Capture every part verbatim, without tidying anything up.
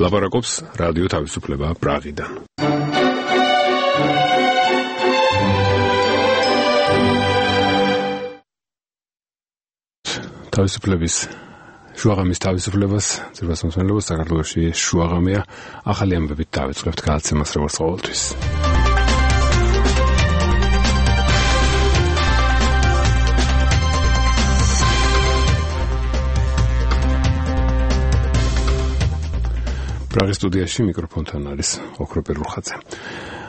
ლაპარაკობს რადიო თავისუფლება პრაღიდან. თავისუფლების შუაღამის თავისუფლებას ძირფას მოსმენელობას საქართველოში შუაღამია ახალი ამბებით დავიწყებთ გადაცემას როგორც ყოველთვის. პრაღის სტუდიაში მიკროფონთან არის ოქროპე რუხაძე.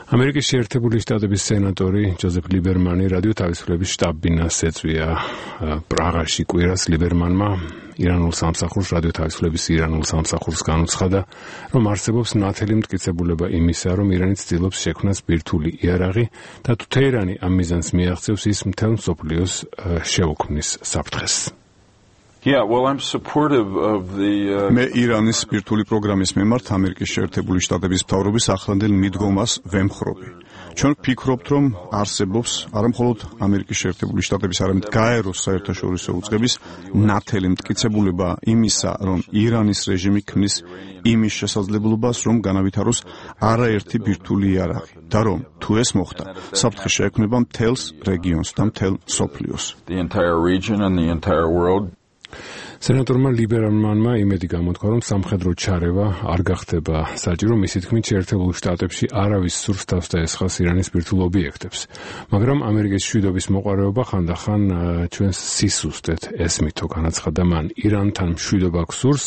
ამერიკის შეერთებული შტატების სენატორი ჯოზეფ ლიბერმანი რადიო თავისუფლების შტაბ-ბინას ეწვია პრაღაში კვირას. ლიბერმანმა ირანულ სამსახურს რადიო თავისუფლების ირანულ სამსახურს განუცხადა, რომ არსებობს ნათელი მტკიცებულება იმისა, რომ ირანი ცდილობს შექმნას ბირთვული იარაღი და თუ თეირანი ამ მიზანს მიაღწევს, ის მთელ მსოფლიოს შეუქმნის საფრთხეს. Yeah, well, I'm supportive of the uh... მე ირანის ბირთვული პროგრამის მიმართ ამერიკის შეერთებული შტატების მთავრობის ახლანდელ მიდგომას ვემხრობი. ჩვენ ვფიქრობთ, რომ არსებობს არამხოლოდ ამერიკის შეერთებული შტატების, არამედ გაეროს საერთაშორისო უწყების ნათელი მტკიცებულება იმისა, რომ ირანის რეჟიმი ქმნის იმის შესაძლებლობას, რომ განავითაროს არაერთი ბირთვული იარაღი და რომ თუ ეს მოხდა, საფრთხე შეექმნება მთელს რეგიონს და მთელ მსოფლიოს. The entire region and the entire world. სენატორმა ლიბერმანმა იმედი გამოთქვა, რომ სამხედრო ჩარევა არ გახდება საჭირო, მისი თქმით შეერთებულ შტატებში არავის სურს თავს დაესხას ირანის ბირთვულ ობიექტებს. მაგრამ ამერიკის მშვიდობის მოყვარეობა ხანდახან ჩვენს სისუსტეთ ესმითო, განაცხადა მან. ირანთან მშვიდობა გსურს,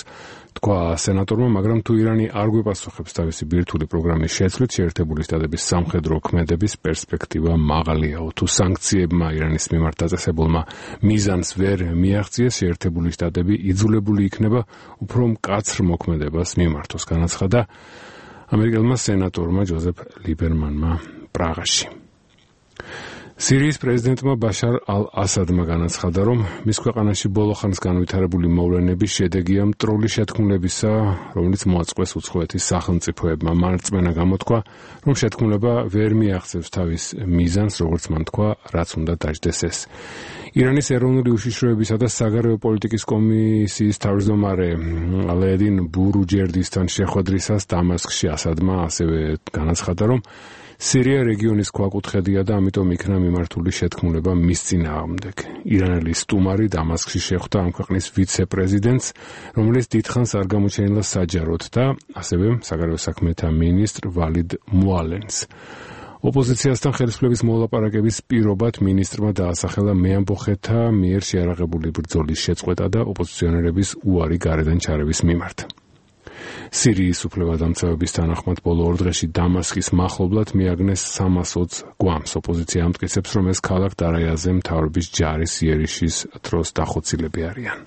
თქვა სენატორმა, მაგრამ თუ ირანი არ გვიპასუხებს თავისი ბირთვული პროგრამის შეცვლით, შეერთებული შტატების სამხედრო ქმედების პერსპექტივა მაღალიაო. თუ სანქციებმა ირანის მიმართ დაწესებულმა მიზანს ვერ მიაღწიეს, შეერთებული შტატები იძულებული იქნება უფრო მკაცრ მოქმედებას მიმართოს, განაცხადა ამერიკელმა სენატორმა ჯოზეფ ლიბერმანმა პრაღაში. სირიის პრეზიდენტმა ბაშარ ალ-ასადმა განაცხადა, რომ მის ქვეყანაში ბოლო ხანს განვითარებული მოვლენების შედეგია მტრული შეთქმულებისა, რომელიც მოაწყვეს უცხოეთის სახელმწიფოებმა. მან რწმენა გამოთქვა, რომ შეთქმულება ვერ მიაღწევს თავის მიზანს, როგორც მან თქვა, რაც უნდა დაждდეს ეს. ირანის ეროვნული უშიშროებისა და საგარეო პოლიტიკის კომისიის თავმჯდომარე ალედინ ბურუჯერდისთან შეხვედრისას დამასკში ასადმა ასევე განაცხადა, რომ სირია რეგიონის ქვაკუთხედია და ამიტომ იქნა მიმართული შეთქმულება მის წინააღმდეგ. ირანელი სტუმარი დამასკში შეხვდა ამ ქვეყნის ვიცე-პრეზიდენტს, რომელიც დიდხანს არ გამოჩენილა საჯაროდ და ასევე საგარეო საქმეთა მინისტრ ვალიდ მუალენს. ოპოზიციასთან ხელისუფლების მოლაპარაკების პირობად მინისტრმა დაასახელა მეამბოხეთა მიერ შეარაღებული ბრძოლის შეწყვეტა და ოპოზიციონერების უარი გარედან ჩარევის მიმართ. სირიის უფლებადამცავების თანახმად ბოლო ორ დღეში დამასკის მახლობლად მიაგნეს სამას ოცი გვამს. ოპოზიცია ამტკიცებს, რომ ეს ქალაქ დარაიაზე მთავრობის ჯარის იერიშის დროს დახოცილები არიან.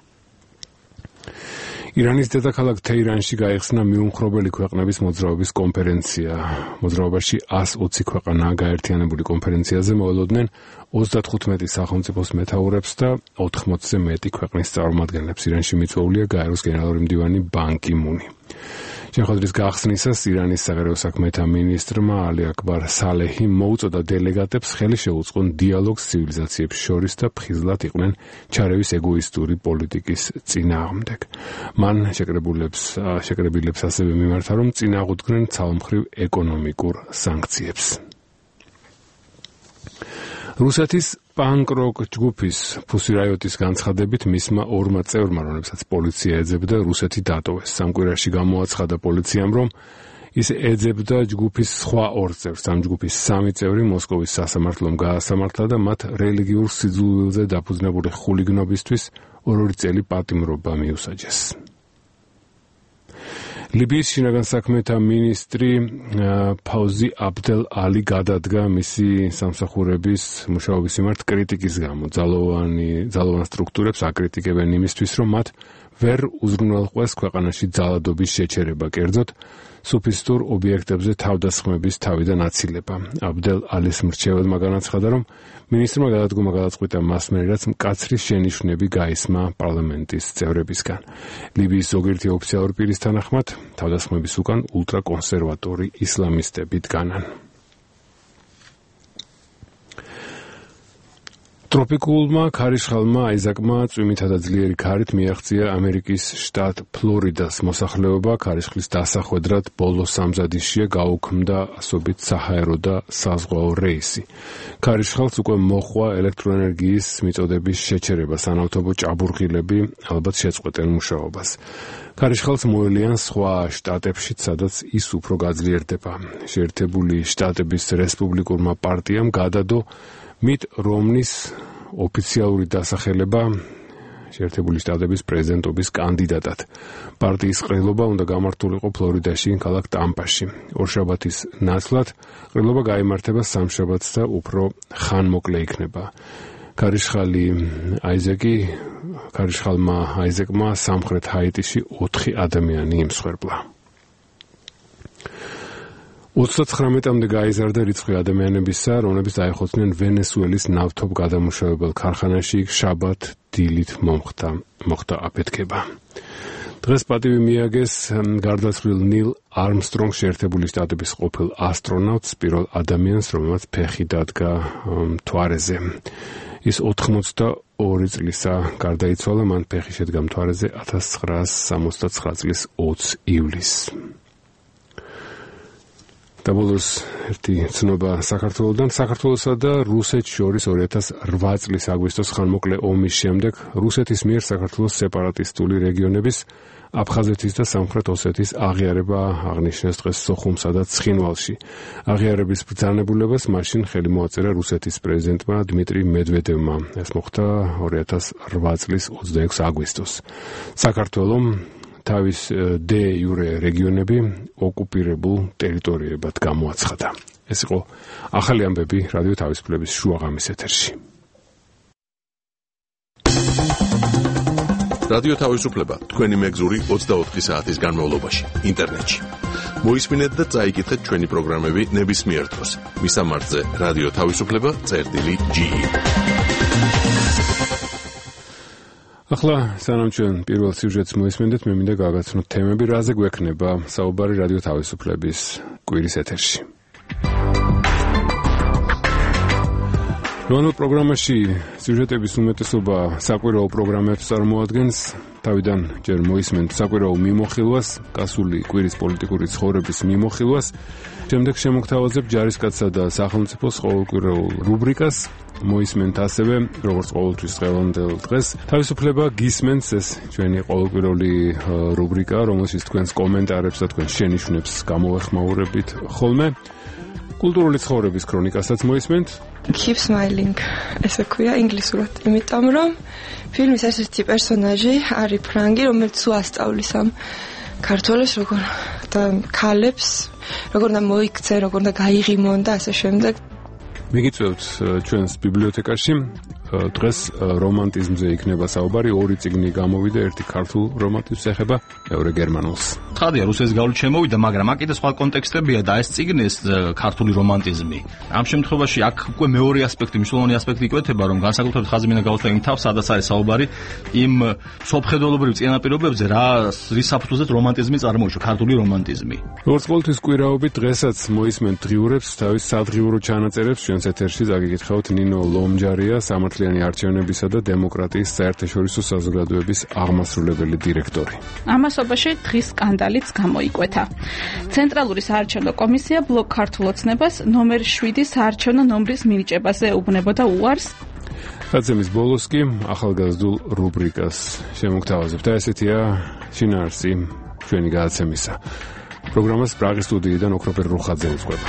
ირანის დედაქალაქ თეირანში გაიხსნა მიუმხრობელი ქვეყნების მოძრაობის კონფერენცია. მოძრაობაში ას ოცი ქვეყანაა გაერთიანებული. კონფერენციაზე მოელოდნენ ოცდათხუთმეტი სახელმწიფოს მეთაურებს და ოთხმოცზე მეტი ქვეყნის წარმომადგენლებს. ირანში მიწვეულია გაეროს გენერალური მდივანი ბან კი მუნი. შეხვედრის გახსნისას ირანის საგარეო საქმეთა მინისტრმა ალი აკბარ სალეჰი მოუწოდა დელეგატებს ხელი შეუწყონ დიალოგს ცივილიზაციებს შორის და ფხიზლად იყვნენ ჩარევის ეგოისტური პოლიტიკის წინააღმდეგ. მან შეკრებულებს შეკრებილებს ასევე მიმართა, რომ წინააღმდნენ ცალმხრივ ეკონომიკურ სანქციებს. რუსეთის პანკ-როკ ჯგუფის Pussy Riot-ის განცხადებით მისმა ორმა წევრმა, რომლებსაც პოლიცია ეძებდა, რუსეთი დატოვეს. სამკვირაში გამოაცხადა პოლიციამ, რომ ის ეძებდა ჯგუფის სხვა ორ წევრს. ამ ჯგუფის სამი წევრი მოსკოვის სასამართლომ გაასამართლა და მათ რელიგიურ სიძულვილზე დაფუძნებული ხულიგნობისთვის ორ-ორი წელი პატიმრობა მიუსაჯეს. ლიბიის შინაგან საქმეთა მინისტრი ფაუზი აბდელ ალი გადადგა მისი სამსახურების მუშაობის მიმართ კრიტიკის გამო. ძალოვანი ძალოვან სტრუქტურებს აკრიტიკებენ იმისთვის, რომ მათ ვერ უზრუნველყვეს ქვეყანაში ძალადობის შეჩერება, კერძოდ სუფისტურ ობიექტებზე თავდასხმების თავიდან აცილება. აბდელ ალის მრჩეველმა განაცხადა, რომ მინისტრმა გადადგომა გადაწყვიტა მასმერი, რაც მკაცრი შენიშვნები გაისმა პარლამენტის წევრებისგან. ლიბიის ზოგიერთი ოფიციალური პირის თანახმად, თავდასხმების უკან ულტრაკონსერვატორი ისლამისტები დგანან. ტროპიკულმა ქარიშხალმა აიზაკმა წვიმითა და ძლიერი ქარით მიაღწია ამერიკის შტატ ფლორიდას მოსახლეობა. ქარიშხლის დასახვედრად ბოლო სამზადისშია გაუქმდა ასობით საჰაერო და საზღვაო რეისი. ქარიშხალს უკვე მოჰყვა ელექტროენერგიის მიწოდების შეჩერება, სანავთობო ჭაბურღილები ალბათ შეწყვეტენ მუშაობას. ქარიშხალს მოელიან სხვა შტატებშიც, სადაც ის უფრო გაძლიერდება. შეერთებული შტატების რესპუბლიკურმა პარტიამ გადადო მიტ რომნის ოფიციალური დასახელება შეერთებული შტატების პრეზიდენტობის კანდიდატად. პარტიის ყრილობა უნდა გამართულიყო ფლორიდაში, ქალაქ ტამპაში. ორშაბათის ნაცვლად ყრილობა გაიმართება სამშაბათს და უფრო ხანმოკლე იქნება. ქარიშხალი აიზეკი ქარიშხალმა აიზეკმა სამხრეთ ჰაიტიში ოთხი ადამიანი იმსხვერპლა. ოცდათხრამეტამდე გაიზარდა რიცხვი ადამიანებისა, რომლებიც დაიხოცნენ ვენესუელის ნავთობ გადამუშავებელ ქარხანაში. იქ შაბათ დილით მომხდა მოხდა აფეთქება. დღეს პატივი მიაგეს გარდაცვლილ ნილ არმსტრონგს, შეერთებული შტატების ყოფილ ასტრონავტს, პირველ ადამიანს, რომელმაც ფეხი დადგა მთვარეზე. ის ოთხმოცდაორი წლისა გარდაიცვალა, მან ფეხი შედგა მთვარეზე ათას ცხრაასი სამოცდაცხრა წლის ოცი ივლისს. და ბოლოს ერთი ცნობა საქართველოდან. საქართველოსა და რუსეთს შორის ორი ათას რვა წლის აგვისტოს ხანმოკლე ომის შემდეგ რუსეთის მიერ საქართველოს სეპარატისტული რეგიონების აფხაზეთის და სამხრეთ ოსეთის აღიარება აღნიშნეს დღეს სოხუმსა და ცხინვალში. აღიარების ბრძანებულებას მაშინ ხელი მოაწერა რუსეთის პრეზიდენტმა დმიტრი მედვედევმა. ეს მოხდა ორი ათას რვა წლის ოცდაექვსი აგვისტოს. საქართველომ თავის დე იურე რეგიონები ოკუპირებულ ტერიტორიებად გამოაცხადა. ეს იყო ახალი ამბები რადიო თავისუფლების შუაღამის ეთერში. რადიო თავისუფლება თქვენი მეგზური ოცდაოთხი საათის განმავლობაში ინტერნეტში. მოისმინეთ და წაიკითხეთ ჩვენი პროგრამები ნებისმიერ დროს. მისამართზე რადიო თავისუფლება წერტილი ჯი. ახლა სანამ ჩვენ პირველ სიუჟეტს მოისმენთ, მე მინდა გავაგაცნოთ თემები, რაზე გვექნება საუბარი რადიო თავისუფლების კვირის ეთერში. რომელ პროგრამაში სიუჟეტების უმეტესობა საკვირაო პროგრამებს წარმოადგენს, თავიდან ჯერ მოისმენთ საკვირაო მიმოხილვას, გასული კვირის პოლიტიკური ცხოვრების მიმოხილვას, შემდეგ შემოგთავაზებ ჯარისკაცსა და სახელმწიფოს ყოველკვირეულ რუბრიკას, მოისმენთ ასევე, როგორც ყოველთვის დღევანდელ დღეს, თავისუფლება გისმენთ, ეს ჩვენი ყოველკვირეული რუბრიკა, რომელშიც თქვენს კომენტარებს და თქვენს შენიშვნებს გამოვეხმაურებით ხოლმე. კულტურული ცხოვრების ქრონიკასაც მოისმენთ. Keep smiling, ესე ქვია ინგლისურად, იმიტომ რომ ფილმის ერთ-ერთი პერსონაჟი არის ფრანგი, რომელიც უასწავლის ამ ქართველებს, როგორ და ქალებს, როგორ და მოიქცე, როგორ და გაიღიმონ და ასე შემდეგ. მიგიწევთ ჩვენს ბიბლიოთეკაში. დღეს რომანტიზმზე იქნება საუბარი. ორი წიგნი გამოვიდა, ერთი ქართულ რომანტიზმს ეხება, მეორე გერმანულს. ცხადია, რუსეთის გავლით შემოვიდა, მაგრამ აქ კიდე სხვა კონტექსტებია და ეს წიგნი, ეს ქართული რომანტიზმი. ამ შემთხვევაში აქ უკვე მეორე ასპექტი, მნიშვნელოვანი ასპექტი იკვეთება, რომ განსაკუთრებით ხაზი მინდა გავუსვა იმ თავს, სადაც არის საუბარი იმ სოფხედველობრივ წინაპირობებზე, რა რის საფუძველზეც რომანტიზმი წარმოიშვა, ქართული რომანტიზმი. როგორც ყოველთვის კვირაობით დღესაც მოისმენთ დღიურებს, თავის სადღიურო ჩანაწერებს ჩვენს ეთერში დაგიკითხავთ ნინო ლომჯარია, სამართლიანი არჩევნებისა და დემოკრატიის საერთაშორისო საზოგადოების აღმასრულებელი დირექტორი. ამასობაში დღის სკანდალიც გამოიკვეთა. ცენტრალური საარჩევნო კომისია ბლოკ ქართულ ოცნებას ნომერ შვიდი საარჩევნო ნომრის მინიჭებაზე ეუბნებოდა უარს. გაცემის ბოლოს კი ახალგაზრდულ რუბრიკას შემოგთავაზებთ. ესეთია შინაარსი ჩვენი გადაცემისა. პროგრამას პრაღის სტუდიიდან ოქროპერ რუხაძე უძღვება.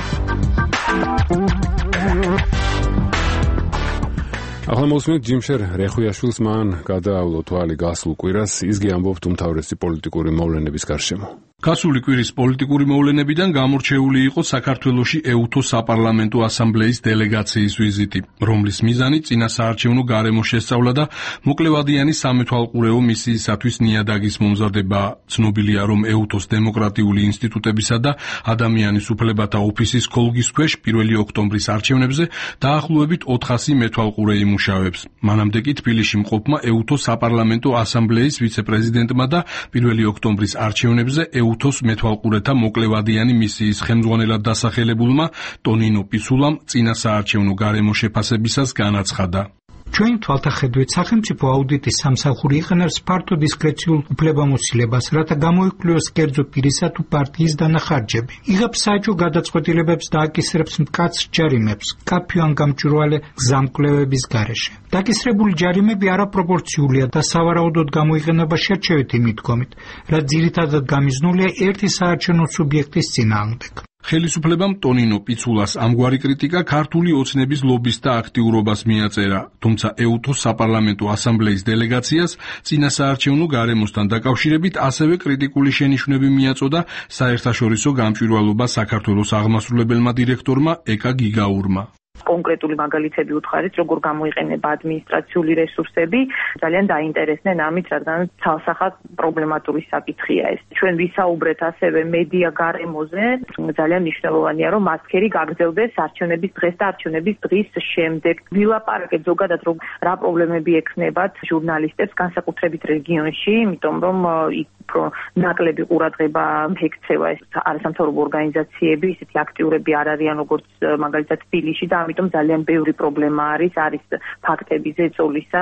ახლა მოსმენთ ჯიმშერ რეხვიაშვილს, მან გადაავლო თვალი გასულ კვირას, ისგე ამბობთ უმთავრესი პოლიტიკური მოვლენების გარშემო. გასული კვირის პოლიტიკური მოვლენებიდან გამორჩეული იყო საქართველოში ეუთოს საპარლამენტო ასამბლეის დელეგაციის ვიზიტი, რომლის მიზანი წინა საარჩევნო გარემო შესწავლა და მოკლევადიანი სამეთვალყურეო მისიისათვის ნიადაგის მომზადება. ცნობილია, რომ ეუთოს დემოკრატიული ინსტიტუტებისა და ადამიანის უფლებათა ოფისის ქოლგის ქვეშ პირველი ოქტომბრის არჩევნებზე დაახლოებით ოთხასი მეთვალყურე იმუშავებს. მანამდე კი თბილისში მყოფმა ეუთოს საპარლამენტო ასამბლეის ვიცე-პრეზიდენტმა და პირველი ოქტომბრის არჩევნებზე ეუთოს მეთვალყურეთა მოკლევადიანი მისიის ხელმძღვანელად დასახელებულმა ტონინო პისულამ წინა საარჩევნო გარემო შეფასებისას განაცხადა. ჩვენი თვალთახედვით სახელმწიფო აუდიტის სამსახური იყენებს ფართო დისკრეციულ უფლებამოსილებას, რათა გამოიკვლიოს კერძო პირისა თუ პარტიის დანახარჯები. იღებს საჯო გადაწყვეტილებებს და აკისრებს მკაცრ ჯარიმებს, კაფე ან გამჭვირვალე გზამკვლევების გარეშე. დაკისრებული ჯარიმები არაპროპორციულია და სავარაუდოდ გამოიყენება შერჩევითი მიდგომით, რაც ძირითადად გამიზნულია ერთი საარჩევნო სუბიექტის წინააღმდეგ. ხელისუფლებამ ტონინო პიცულას ამგვარი კრიტიკა ქართული ოცნების ლობისტთა აქტიურობას მიაწერა, თუმცა ეუთოს საპარლამენტო ასამბლეის დელეგაციას წინასაარჩევნო გარემოსთან დაკავშირებით ასევე კრიტიკული შენიშვნები მიაწოდა საერთაშორისო გამჭვირვალობა საქართველოს აღმასრულებელმა დირექტორმა ეკა გიგაურმა. კონკრეტული მაგალითები უთხარით, როგორ გამოიყენება ადმინისტრაციული რესურსები, ძალიან დაინტერესდნენ ამით, რადგან ცალსახად პრობლემატური საკითხია ეს. ჩვენ ვისაუბრეთ ასევე მედია გარემოზე, ძალიან მნიშვნელოვანია, რომ მასქერი გაგრძელდეს არჩევნების დღეს და არჩევნების დღის შემდეგ. ვილაპარაკეთ ზოგადად, რომ რა პრობლემები ექნებათ ჟურნალისტებს, განსაკუთრებით რეგიონში, იმიტომ რომ იქ ნაკლები ყურადღება ექცევა ეს არასამთავრობო ორგანიზაციები, ისეთი აქტიურები არ არიან, როგორც მაგალითად თბილისში და ამიტომ ძალიან ბევრი პრობლემა არის, არის ფაქტები ზეწოლისა.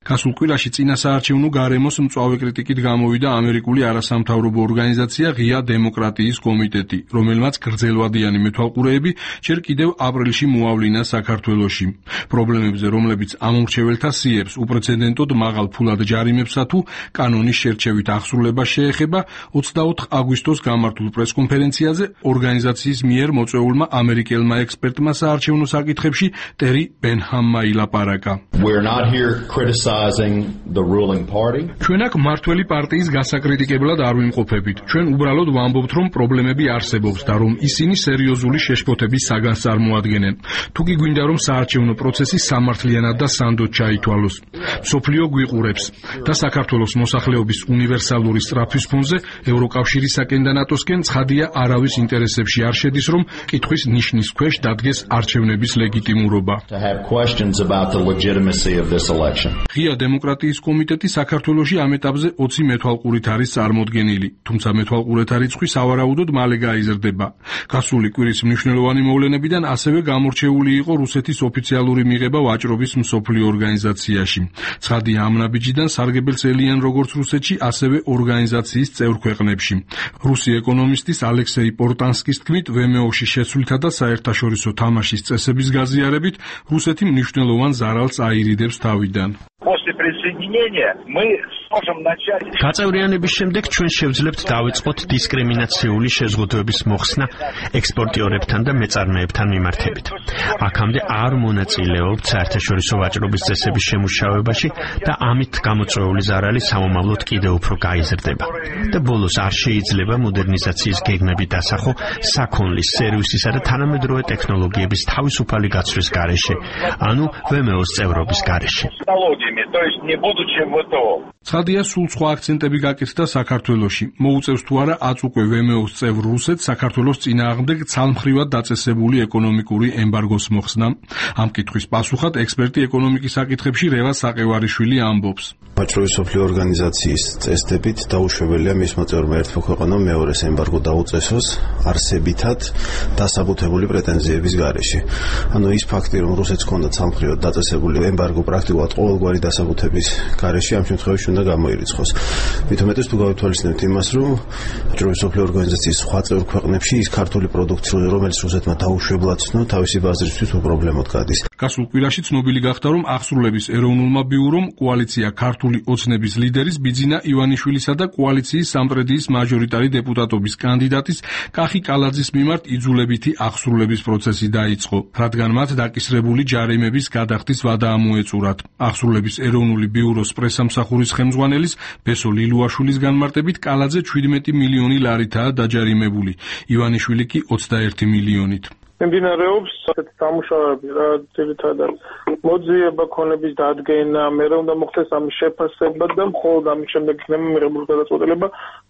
გასულ კვირაში წინასაარჩევნო გარემოს მწვავე კრიტიკით გამოვიდა ამერიკული არასამთავრობო ორგანიზაცია ღია დემოკრატიის კომიტეტი, რომელმაც გრძელვადიანი მეთვალყურეები ჯერ კიდევ აპრილში მოავლინა საქართველოში. პრობლემებზე, რომლებიც ამომრჩეველთა სიებს უპრეცედენტოდ მაღალ ფულად ჯარიმებსა თუ კანონის შერჩევით აღსრულება შეეხება, ოცდაოთხ აგვისტოს გამართულ პრესკონფერენციაზე ორგანიზაციის მიერ მოწვეულმა ამერიკელმა ექსპერტმა საარჩევნო საკითხებში ტერი ბენჰამმა ილაპარაკა. ჩვენ აქ მმართველი პარტიის გასაკრიტიკებლად არ ვიმყოფებით. ჩვენ უბრალოდ ვამბობთ, რომ პრობლემები არსებობს და რომ ისინი სერიოზული შეშფოთების საგანს წარმოადგენენ. თუ კი გვინდა, რომ საარჩევნო პროცესი სამართლიანად და სანდოდ ჩაითვალოს. მსოფლიო გვიყურებს და საქართველოს მოსახლეობის უნივერსალური სწრაფვის ფონზე ევროკავშირისაკენ და ნატოსკენ ცხადია არავის ინტერესებში არ შედის, რომ კითხვის ნიშნის ქვეშ დადგეს არჩევნების ლეგიტიმურობა. ღია დემოკრატიის კომიტეტი საქართველოში ამ ეტაპზე ოცი მეთვალყურით არის წარმოდგენილი, თუმცა მეთვალყურეთა რიცხვი სავარაუდოდ მალე გაიზრდება. გასული კვირის მნიშვნელოვანი მოვლენებიდან ასევე გამორჩეული იყო რუსეთის ოფიციალური მიღება ვაჭრობის მსოფლიო ორგანიზაციაში. ცხადია ამ ნაბიჯიდან სარგებელს ელიან როგორც რუსეთში, ასევე ორგანიზაციის წევრ ქვეყნებში. რუსი ეკონომისტის ალექსეი პორტანსკის თქმით, ვემეოში შეცვლითა და საერთაშორისო თამაშის წესების გაზიარებით, რუსეთი მნიშვნელოვან ზარალს აირიდებს თავიდან. გაწევრიანების შემდეგ ჩვენ შევძლებთ დავიწყოთ დისკრიმინაციული შეზღუდვების მოხსნა ექსპორტიორებთან და მეწარმეებთან მიმართებით. აქამდე არ მონაწილეობთ საერთაშორისო ვაჭრობის წესების შემუშავებაში და ამით გამოწვეული ზარალი სამომავლოდ კიდევ უფრო გაიზრდება. და ბოლოს არ შეიძლება მოდერნიზაციის გეგმები დასახო საქონლის, სერვისისა და თანამედროვე ტექნოლოგიების თავისუფალი გაცვლის გარეშე, ანუ ვემეოს წევრობის გარეშე. ცხადია, სულ სხვა აქცენტები გაკეთდა საქართველოში. მოუწევს თუ არა აწ უკვე ვემეოს წევრ რუსეთს საქართველოს წინააღმდეგ ცალმხრივად დაწესებული ეკონომიკური ემბარგოს მოხსნა. ამ კითხვის პასუხად ექსპერტი ეკონომიკის საკითხებში რევა საყევარიშვილი ამბობს. ვაჭრობის მსოფლიო ორგანიზაციის წესდებით დაუშვებელია მისმა წევრმა ერთმა ქვეყანამ მეორეს ემბარგო დაუწესოს არსებითად დასაბუთებული პრეტენზიების გარეშე. ანუ ის ფაქტი, რომ რუსეთს ჰქონდა ცალმხრივად დაწესებული ემბარგო პრაქტიკულად ყოველგვარი დასაბუთების გარეშე ამ შემთხვევაში უნდა გამოირიცხოს. მით უმეტეს თუ გავითვალისწინებთ იმას, რომ ვაჭრობის მსოფლიო ორგანიზაციის სხვა წევრ ქვეყნებში ის ქართული პროდუქცია, რომელიც რუსეთმა დაუშვებლად ცნო, თავისი ბაზრისთვის უპრობლემოდ გადის. გასულ კვირაში ცნობილი გახდა, რომ აღსრულების ეროვნულმა ბიურომ კოალიცია ქართული ოცნების ლიდერის ბიძინა ივანიშვილისა და კოალიციის სამტრედიის მაჟორიტარი დეპუტატობის კანდიდატის კახი კალაძის მიმართ იძულებითი აღსრულების პროცესი დაიწყო, რადგან მათ დაკისრებული ჯარიმების გადახდის ვადა ამოეწურათ. აღსრულების ეროვნული ბიუროს პრესამსახურის ხელმძღვანელის ბესო ლილუაშვილის განმარტებით კალაძე შვიდმეტი მილიონი ლარითაა დაჯარიმებული, ივანიშვილი კი ოცდაერთი მილიონით. მიმდინარეობს ასეთი დამუშავებები, რა ძირითადად მოძიება ქონების დადგენა, მერე უნდა მოხდეს ამის შეფასება და მხოლოდ ამის შემდეგ იქნება მიღებული გადაწყვეტილება,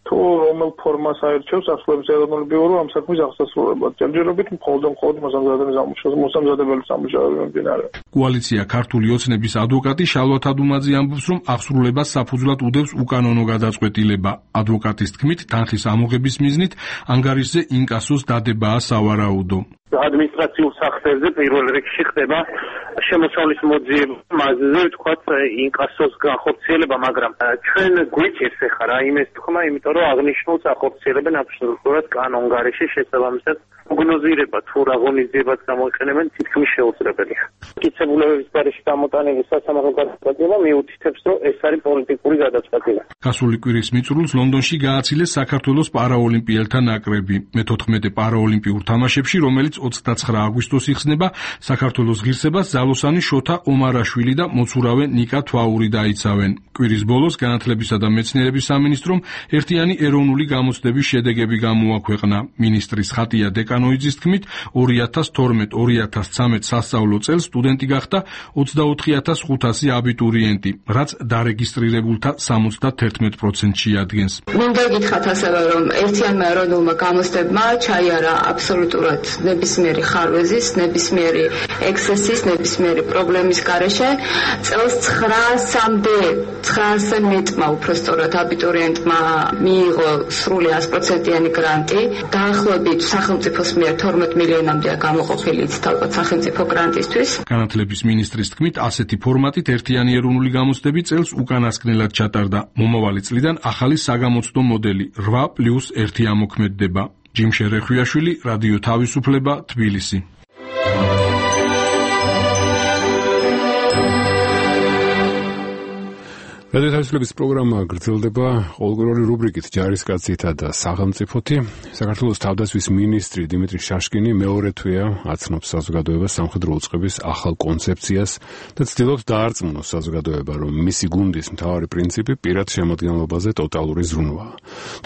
თუ რომელ ფორმას აირჩევს აღსრულების ეროვნული ბიურო ამ საქმის აღსასრულებლად. ჯერჯერობით მხოლოდ მხოლოდ მოსამზადებელი სამუშაოები მიმდინარეობს. კოალიცია ქართული ოცნების ადვოკატი შალვა თადუმაძე ამბობს, რომ აღსრულებას საფუძვლად უდევს უკანონო გადაწყვეტილება. ადვოკატის თქმით, თანხის ამოღების მიზნით ანგარიშზე ინკასოს დადებაა სავარაუდო. ადმინისტრაციულ სახსრებზე პირველ რიგში ხდება შემოსავლის მოძიება, მასზე ვთქვათ ინკასოს განხორციელება, მაგრამ ჩვენ გვიჭირს ახლა რა იმის თქმა, იმიტომ რომ აღნიშნულს ახორციელებენ აბსოლუტურად კანონგარეშე შესაბამისად პროგნოზირება თუ რა ღონისძიებაც გამოიყენებენ თითქმის შეუძლებელია. მტკიცებულებების გარეშე გამოტანილი სასამართლო გადაწყვეტილება მიუთითებს, რომ ეს არის პოლიტიკური გადაწყვეტილება. გასული კვირის მიწურულს ლონდონში გააცილეს საქართველოს პარაოლიმპიელთა ნაკრები. მეთოთხმეტე პარაოლიმპიურ თამაშებში, რომელიც ოცდაცხრა აგვისტოს იხსნება, საქართველოს ღირსებას ძალოსანი შოთა ომარაშვილი და მოცურავე ნიკა თვაური დაიცავენ. კვირის ბოლოს განათლებისა და მეცნიერების სამინისტრომ ერთიანი ეროვნული გამოცდების შედეგები გამოაქვეყნა. მინისტრის ხატია დეკანოიძის თქმით, ორი ათას თორმეტ ორი ათას ცხრამეტ სასწავლო წელს სტუდენტი გახდა ოცდაოთხი ათას ხუთასი აბიტურიენტი, რაც დარეგისტრირებულთა სამოცდათერთმეტ პროცენტში ადგენს. მინდა გითხრათ ასევე, რომ ერთიანმა ეროვნულმა გამოცდებმა ჩაიარა აბსოლუტურად ნებისმიერი ხარვეზის, ნებისმიერი ექსცესის, ნებისმიერი პრობლემის გარეშე წელს ცხრაასამდე ცხრაასზე მეტმა უпростоრად აბიტურიენტმა მიიღო სრული ას პროცენტიანი გრანტი. დაახლოებით სახელმწიფოს მიერ თორმეტ მილიონამდეა გამოყოფილი ცალკე სახელმწიფო გრანტისთვის. განათლების მინისტრის თქმით, ასეთი ფორმატით ერთიანი ეროვნული გამოცდები წელს უკანასკნელად ჩატარდა. მომავალი წლიდან ახალი საგამოცდო მოდელი რვა პლუს ერთი ამოქმედდება. ჯიმშე რეხვიაშვილი, რადიო თავისუფლება, თბილისი. რადიო თავისუფლების პროგრამა გრძელდება ყოველკვირეული რუბრიკით ჯარისკაცითა და სახელმწიფოთი. საქართველოს თავდაცვის მინისტრი დიმიტრი შაშკინი მეორე თვეა აცნობს საზოგადოებას სამხედრო უწყების ახალ კონცეფციას და ცდილობს დაარწმუნოს საზოგადოება, რომ მისი გუნდის მთავარი პრინციპი პირად შემადგენლობაზე ტოტალური ზრუნვაა.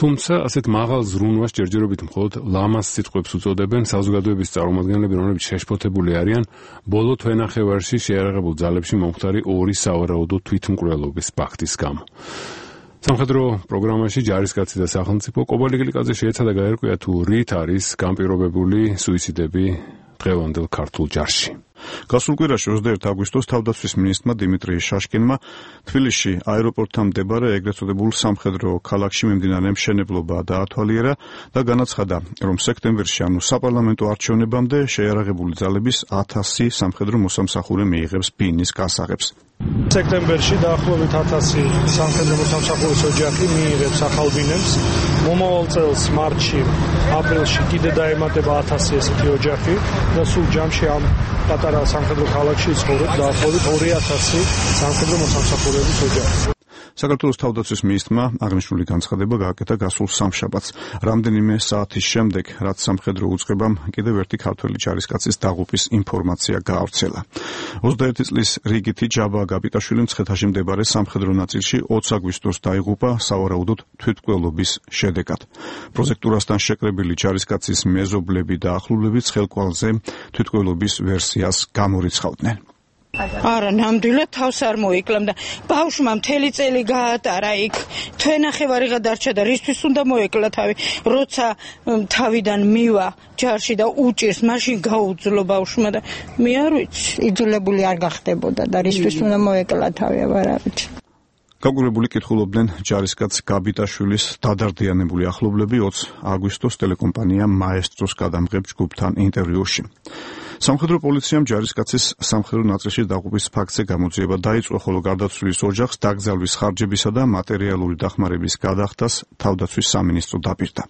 თუმცა ასეთ მაღალ ზრუნვას ჯერჯერობით მხოლოდ ლამას სიტყვებს უწოდებენ საზოგადოების წარმომადგენლები, რომლებიც შეშფოთებული არიან ბოლო თვენახევარში შეიარაღებულ ძალებში მომხდარი ორი სავარაუდო თვითმკვლელობის ფაქტი. სამხედრო პროგრამაში ჯარისკაცი და სახელმწიფო კობალი გლიკაძე შეეცადა გაერკვია თუ რით არის განპირობებული სუიციდები დღევანდელ ქართულ ჯარში. გასულ კვირაში ოცდაერთი აგვისტოს თავდაცვის მინისტრმა დიმიტრი შაშკინმა თბილისში აეროპორტთან მდებარე ეგრეთ წოდებულ სამხედრო ქალაქში მიმდინარე მშენებლობა დაათვალიერა და განაცხადა, რომ სექტემბერში, ანუ საპარლამენტო არჩევნებამდე შეიარაღებული ძალების ათასი სამხედრო მოსამსახურე მიიღებს ბინის გასაღებს. სექტემბერში დაახლოებით ათასი სამხედრო მოსამსახურის ოჯახი მიიღებს ახალ ბინებს. მომავალ წელს მარტში, აპრილში კიდე დაემატება ათასი ესეთი ოჯახი და სულ ჯამში ამ პატარა სამხედრო ქალაქში ცხოვრობს დაახლოებით ორი ათასი სამხედრო მოსამსახურეების ოჯახი. საქართველოს თავდაცვის მინისტრმა აღნიშნული განცხადება გააკეთა გასულ სამშაბათს, რამდენიმე საათის შემდეგ, რაც სამხედრო უწყებამ კიდევ ერთი ქართველი ჯარისკაცის დაღუპვის ინფორმაცია გაავრცელა. ოცდაერთი წლის რიგითი ჯაბა გაბიტაშვილი მცხეთაში მდებარე სამხედრო ნაწილში ოცი აგვისტოს დაიღუპა სავარაუდოდ თვითმკვლელობის შედეგად. პროζექტურასთან შეკრებილი ჯარისკაცის მეზობლები და ახლობლები ცხელკვალზე თვითმკვლელობის ვერსიას გამორიცხავდნენ. არა, ნამდვილად თავს არ მოიკლამდა. ბავშვმა მთელი წელი გაატარა იქ. თვენახევარი გადარჩა და რისთვის უნდა მოეკლა თავი? როცა თავიდან მივა ჯარში და უჭირს, მაშინ გაუძლო ბავშვმა და მე არ ვიცი, იძულებული არ გახდებოდა და რისთვის უნდა მოეკლა თავი, არ ვიცი. გაგვირებული კითხულობდნენ ჯარისკაც გაბიტაშვილის დადარდიანებული ახლობლები ოცი აგვისტოს ტელეკომპანია მაესტროს გადამღებ ჯგუფთან ინტერვიუში. სამხედრო პოლიციამ ჯარისკაცის სამხედრო ნაწილში დაღუპვის ფაქტზე გამოძიება დაიწყო, ხოლო გარდაცვლილის ოჯახს დაკრძალვის ხარჯებისა და მატერიალური დახმარების გადახდას თავდაცვის სამინისტრო დაპირდა.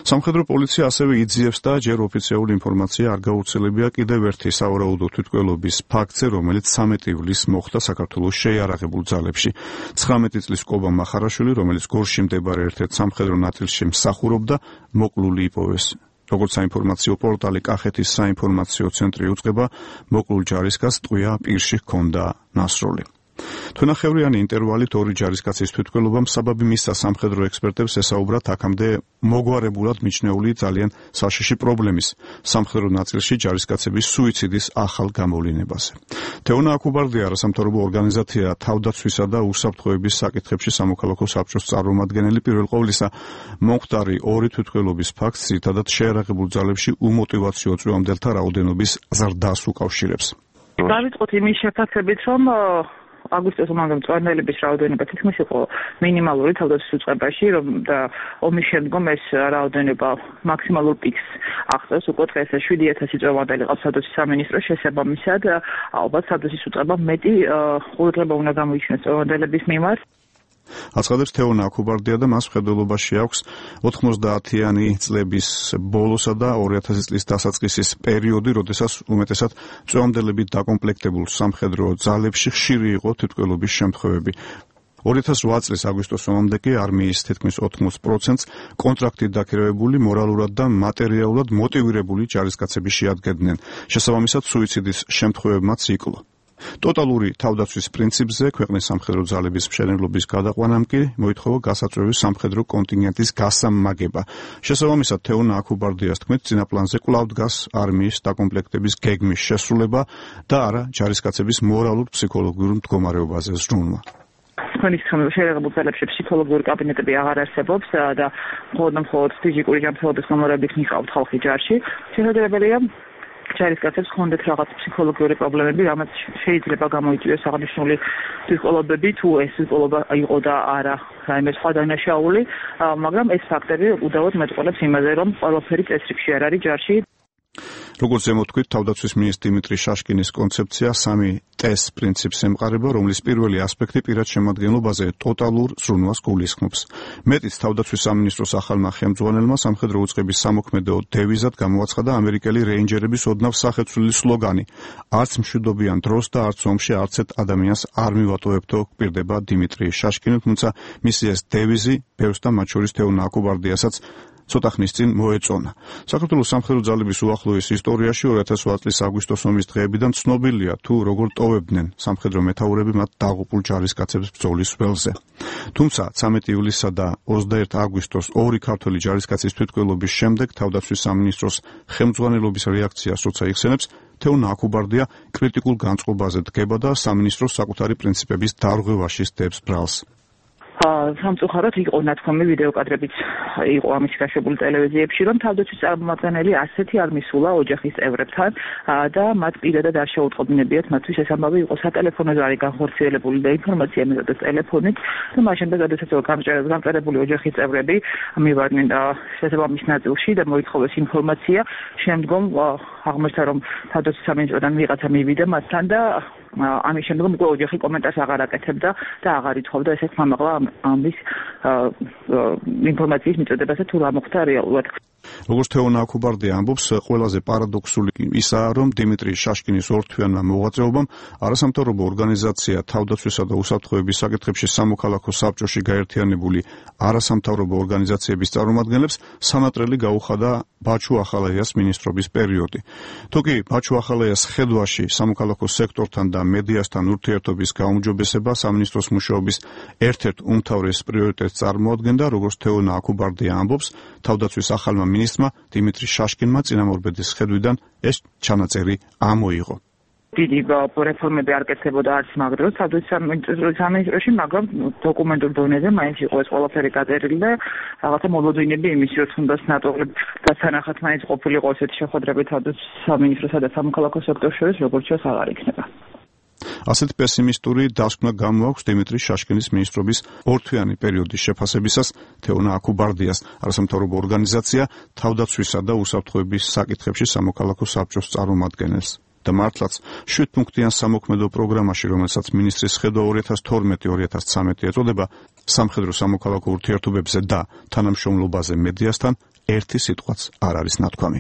სამხედრო პოლიცია ასევე იძიებს და ჯერ ოფიციალური ინფორმაცია არ გაუცელებია კიდევ ერთი სავარაუდო თვითმკვლელობის ფაქტზე, რომელიც სამეტი ივლისს მოხდა საქართველოს შეიარაღებულ ძალებში. ცხრამეტი წლის კობა მახარაშვილი, რომელიც გორში მდებარე ერთ-ერთ სამხედრო ნაწილში მსახურობდა, მოკლული იპოვეს. როგორც საინფორმაციო პორტალი კახეთის საინფორმაციო ცენტრი უწყება, მოკლულ ჯარისკაცს ტყვია პირში ჰქონდა ნასროლი. თვენახევრიანი ინტერვალით ორი ჯარისკაცის თვითმკვლელობამ საბაბი მისცა სამხედრო ექსპერტებს ესაუბრათ აქამდე მოგვარებულად მიჩნეული ძალიან საშიში პრობლემის სამხედრო ნაწილში ჯარისკაცების სუიციდის ახალ გამოვლინებაზე. თეონა აკუბარდია არასამთავრობო ორგანიზაცია თავდაცვისა და უსაფრთხოების საკითხებში სამოქალაქო საბჭოს წარმომადგენელი, პირველ ყოვლისა მომხდარი ორი თვითმკვლელობის ფაქტს ძირითადად შეიარაღებულ ძალებში უმოტივაციო წვევამდელთა რაოდენობის ზრდას უკავშირებს. დავიწყოთ იმის შესაძლებლობით, რომ აგვისტოს ომამდე მწვანეელების რაოდენობა თითქმის იყო მინიმალური თავდაცვის უწყებაში, რომ და ომის შემდგომ ეს რაოდენობა მაქსიმალურ პიკს აღწევს. უკვე დღეს შვიდი ათასი წვევანდელი ყავს თავდაცვის სამინისტროს შესაბამისად, ალბათ თავდაცვის უწყება მეტი ყურადღება უნდა გამოიჩინოს წვევანდელების მიმართ. აცხადებს თეონა აკუბარდია და მას მხედველობაში აქვს ოთხმოცდაათიანი წლების ბოლოსა და ორი ათასი წლის დასაწყისის პერიოდი, როდესაც უმეტესად წვევამდელებით დაკომპლექტებულ სამხედრო ძალებში ხშირი იყო თვითმკვლელობის შემთხვევები. ორი ათას ოთხ წლის აგვისტოს ომამდე კი არმიის თითქმის ოთხმოცდ პროცენტს კონტრაქტით დაქირავებული, მორალურად და მატერიალურად მოტივირებული ჯარისკაცები შეადგენდნენ. შესაბამისად, სუიციდის შემთხვევებმაც იკლო. ტოტალური თავდაცვის პრინციპზე ქვეყნის სამხედრო ძალების მშენებლობის გადაყვანამ კი მოითხოვა გასაწვევის სამხედრო კონტინგენტის გასამაგება. შესაბამისად, თეონა აკუბარდიას თქმით, წინა პლანზე კვლავ დგას არმიის დაკომპლექტების გეგმის შესრულება და არა ჯარისკაცების მორალურ-ფსიქოლოგიურ მდგომარეობაზე ზრუნვა. თქვენი სხეულში შეერაღებულ ძალებში ფსიქოლოგიური კაბინეტები აღარ არსებობს და მხოლოდ და მხოლოდ ფიზიკური ჯანმრთელობის მომორებით მიყავთ ხალხი ჯარში. შესაძლებელია ჯარისკაცებს ჰქონდეთ რაღაც ფსიქოლოგიური პრობლემები, რამაც შეიძლება გამოიწვიოს აღნიშნული თვითმკვლელობები, თუ ეს თვითმკვლელობა იყო და არა რაიმე სხვა დანაშაული, მაგრამ ეს ფაქტები უდავოდ მეტყველებს იმაზე, რომ ყველაფერი წესრიგში არ არის ჯარში. როგორც ზემოთქვით, თავდაცვის მინისტრი დიმიტრი შაშკინის კონცეფცია სამი ტეს პრინციპს ემყარება, რომლის პირველი ასპექტი პირად შემადგენლობაზე ტოტალურ ზრუნვას გულისხმობს. მეტიც, თავდაცვის სამინისტროს ახალმა ხელმძღვანელმა სამხედრო უწყების სამოქმედო დევიზად გამოაცხადა ამერიკელი რეინჯერების ოდნავ სახეცვლილი სლოგანი: არც მშვიდობიან დროს და არც ომში არცერთ ადამიანს არ მივატოვებთო, გვპირდება დიმიტრი შაშკინი, თუმცა მისი ეს დევიზი ბევრს და მათ შორის თეონა აკუბარდიასაც ცოტა ხნის წინ მოეწონა. საქართველოს სამხედრო ძალების უახლოეს ისტორიაში ორი ათას ოთხ წლის აგვისტოს ომის დღეებიდან ცნობილია თუ როგორ ტოვებდნენ სამხედრო მეთაურები მათ დაღუპულ ჯარისკაცებს ბრძოლის ველზე. თუმცა ცამეტი ივლისსა და ოცდაერთი აგვისტოს ორი ქართველი ჯარისკაცის თვითმკვლელობის შემდეგ თავდაცვის სამინისტროს ხელმძღვანელობის რეაქციას როცა იხსენებს, თეონა აკუბარდია კრიტიკულ განწყობაზე დგება და სამინისტროს საკუთარი პრინციპების დარღვევაში სდებს ბრალს. სამწუხაროდ იყო ნათქვამი ვიდეო კადრებიც იყო ამის გაშვებული ტელევიზიებში, რომ თავდაცვის წარმომადგენელი ასეთი არ მისულა ოჯახის წევრებთან და მათ პირადად არ შეუტყობინებიათ მათთვის ეს ამბავი იყო სატელეფონო ზარი განხორციელებული და ინფორმაცია მიღებდა ტელეფონით და მას შემდეგ როდესაც გამწერებული ოჯახის წევრები მივარდნენ შესაბამის ნაწილში და მოითხოვეს ინფორმაცია, შემდგომ აღმოჩნდა რომ თავდაცვის სამინისტროდან ვიღაცა მივიდა მათთან და ამის შემდგომ უკვე ოჯახი კომენტარს აღარ აკეთებდა და აღარ ითხოვდა ესეთ მამაღლა ამის ინფორმაციის მიწოდებაზე თუ რა მოხდა რეალურად. როგორც თეონა აკუბარდია ამბობს, ყველაზე პარადოქსული ისაა, რომ დიმიტრი შაშკინის ორთვიანმა მოღვაწეობამ არასამთავრობო ორგანიზაცია თავდაცვისა და უსაფრთხოების საკითხებში სამოქალაქო საბჭოში გაერთიანებული არასამთავრობო ორგანიზაციების წარმომადგენლებს სანატრელი გაუხადა ბაჩუ ახალაიას მინისტრობის პერიოდი. თუკი ბაჩუ ახალაიას ხედვაში სამოქალაქო სექტორთან და მედიასთან ურთიერთობის გაუმჯობესება სამინისტროს მუშაობის ერთ-ერთ უმთავრეს პრიორიტეტს წარმოადგენდა, როგორც თეონა აკუბარდია ამბობს, თავდაცვის ახალმა მინისტრმა დიმიტრი შაშკინმა წინამორბედის ხედვიდან ეს ჩანაწერი ამოიღო. დიდი რეფორმები არ კეთდებოდა არც მაგდროს თავდაცვის სამინისტროში, მაგრამ დოკუმენტურ დონეზე მაინც იყო ეს ყველაფერი გაწერილი და რაღაცა მოლოდინები იმის, რომ თუნდაც ნატოები დასანახად მაინც ყოფილიყო ესეთი შეხვედრები თავდაცვის სამინისტროსა და სამოქალაქო სექტორს შორის, როგორც ჩანს აღარ იქნება. ასეთ პესიმისტური დასკვნა გამოაქვს დიმიტრი შაშკინის მინისტრობის ორთვიანი პერიოდის შეფასებისას თეონა აკუბარდიას არასამთავრობო ორგანიზაცია თავდაცვისა და უსაფრთხოების საკითხებში სამოქალაქო საბჭოს წარმომადგენელს. და მართლაც შვიდპუნქტიან სამოქმედო პროგრამაში, რომელსაც მინისტრის ხედვა ორი ათას თორმეტი ორი ათას ცხრამეტი ეწოდება, სამხედრო სამოქალაქო ურთიერთობებზე და თანამშრომლობაზე მედიასთან ერთი სიტყვაც არ არის ნათქვამი.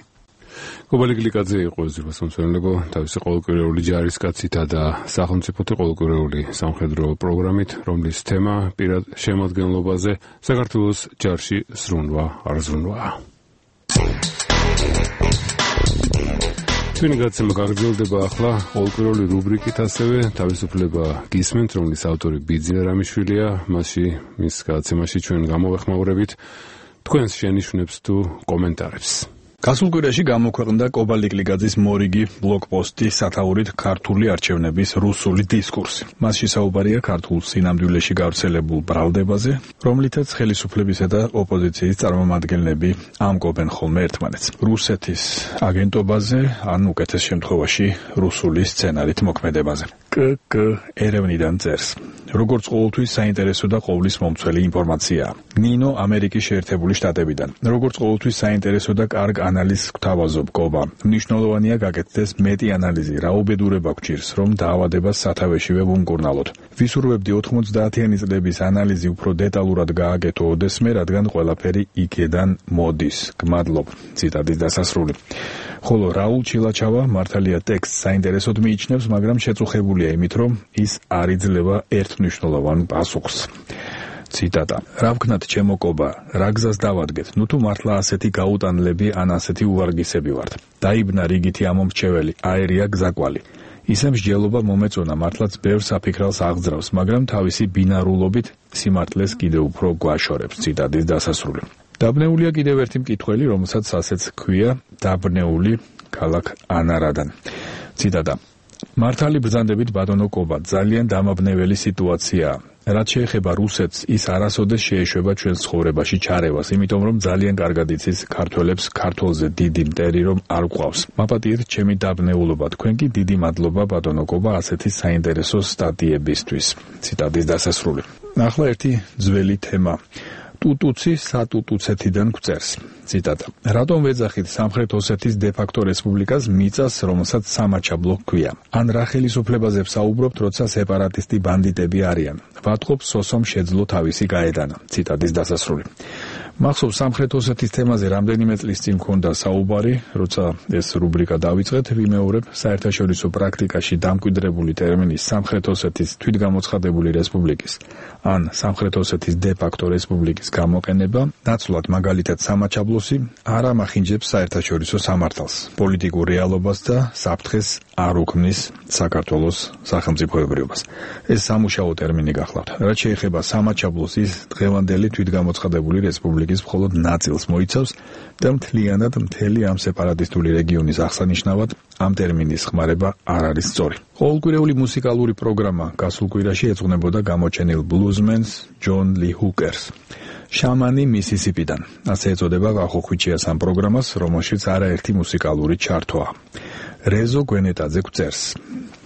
გობალი გლიკაძე იყო ზურბას მომსწრებლებო თავისი ყოველკვირეული ჯარისკაცითა და სახელმწიფოთა ყოველკვირეული სამხედრო პროგრამით, რომლის თემა პირად შემადგენლობაზე საქართველოს ჯარში ზრუნვა არ ზრუნვა. ჩვენი გაცემა გაგრძელდება ახლა ყოველკვირეული რუბრიკით, ასევე თავისუფლება გისმენთ, რომლის ავტორი ბიძინა რამიშვილია, მასში მის გაცემაში ჩვენ გამოვეხმაურებით თქვენს შენიშვნებს თუ კომენტარებს. გასულ კვირაში გამოქვეყნდა კობა ლიკლიგაძის მორიგი ბლოგპოსტი სათაურით ქართული არჩევნების რუსული დისკურსი. მასში საუბარია ქართულ სინამდვილეში გავრცელებულ ბრალდებაზე, რომლითაც ხელისუფლებისა და ოპოზიციის წარმომადგენლები ამკობენ ხოლმე ერთმანეთს. რუსეთის აგენტობაზე, ან უკეთეს შემთხვევაში რუსული სცენარით მოქმედებაზე. კ-კ ერევნიდან წერს. როგორც ყოველთვის საინტერესო და ყოვლის მომცველი ინფორმაცია. ნინო ამერიკის შეერთებული შტატებიდან. როგორც ყოველთვის საინტერესო და კარგ ანალიზს გვთავაზობ კობა. მნიშვნელოვანია გაკეთდეს მეტი ანალიზი, რა უბედურება გვჭირს, რომ დაავადებას სათავეშივე ვუმკურნალოთ. ვისურვებდი ოთხმოცდაათიანი წლების ანალიზი უფრო დეტალურად გააკეთო ოდესმე, რადგან ყველაფერი იქედან მოდის. გმადლობ. ციტატის დასასრული. ხოლო რაულ ჩილაჩავა მართალია ტექსტს საინტერესოდ მიიჩნევს, მაგრამ შეწუხებულია იმით, რომ ის არ იძლევა ერთმნიშვნელოვან პასუხს. ციტატა. რა ვქნათ ჩემო კობა, რა გზას დავადგეთ, ნუ თუ მართლა ასეთი გაუტანლები ან ასეთი უვარგისები ვართ. დაიბნა რიგითი ამომრჩეველი, აერია გზაკვალი. ისე მსჯელობა მომეწონა, მართლაც ბევრ საფიქრალს აღძრავს, მაგრამ თავისი ბინარულობით სიმართლეს კიდევ უფრო გვაშორებს. ციტატის დასასრული. დაბნეულია კიდევ ერთი მკითხველი, რომელსაც ასეც ჰქვია დაბნეული ქალაქ ანარადან. ციტატა. მართალი ბრძანდებით ბატონო კობა, ძალიან დამაბნეველი სიტუაციაა. რაც შეეხება რუსეთს, ის არასოდეს შეეშვება ჩვენს ცხოვრებაში ჩარევას, იმიტომ რომ ძალიან კარგად იცის ქართველებს ქართველზე დიდი მტერი რომ არ გვყავს. მაპატიეთ ჩემი დაბნეულობა, თქვენ კი დიდი მადლობა ბატონო კობა ასეთი საინტერესო სტატიებისთვის. ციტატის დასასრული. ახლა ერთი ძველი თემა. ტუტუცი სატუტუცეთიდან გვწერს. ციტატა. რატომ ვეძახით სამხრეთ ოსეთის დე-ფაქტო რესპუბლიკას მიწას, რომელსაც სამაჩაბლო ჰქვია? ან რა ხელისუფლებაზე ვსაუბრობთ, როცა სეპარატისტი ბანდიტები არიან? ვატყობ სოსომ შეძლო თავისი გაედანა. ციტატის დასასრული. მახსოვს სამხრეთ ოსეთის თემაზე რამდენიმე წლის წინ მქონდა საუბარი, როცა ეს რუბრიკა დავიწყეთ, ვიმეორებ საერთაშორისო პრაქტიკაში დამკვიდრებული ტერმინის სამხრეთ ოსეთის თვითგამოცხადებული რესპუბლიკის ან სამხრეთ ოსეთის დე-ფაქტო რესპუბლიკის გამოყენება, ნაცვლად მაგალითად სამაჩაბლოსი არ ამახინჯებს საერთაშორისო სამართალს, პოლიტიკურ რეალობას და საფრთხეს არ უქმნის საქართველოს სახელმწიფოებრიობას. ეს სამუშაო ტერმინი გახლავთ. რაც შეეხება სამაჩაბლოსის დღევანდელი თვითგამოცხადებული რესპუბლიკის მხოლოდ ნაწილს მოიცავს და მთლიანად მთელი ამ სეპარატისტული რეგიონის აღსანიშნავად ამ ტერმინის ხმარება არ არის სწორი. ყოველკვირეული მუსიკალური პროგრამა გასულ კვირაში ეძღვნებოდა გამოჩენილ ბლუზმენს ჯონ ლი ჰუკერს. შამანი მისისიპიდან. ასე ეწოდება ვახოხვიჩიას ამ პროგრამას, რომელშიც არაერთი მუსიკალური ჩართვაა. რეზო გვენეტაძე გვწერს.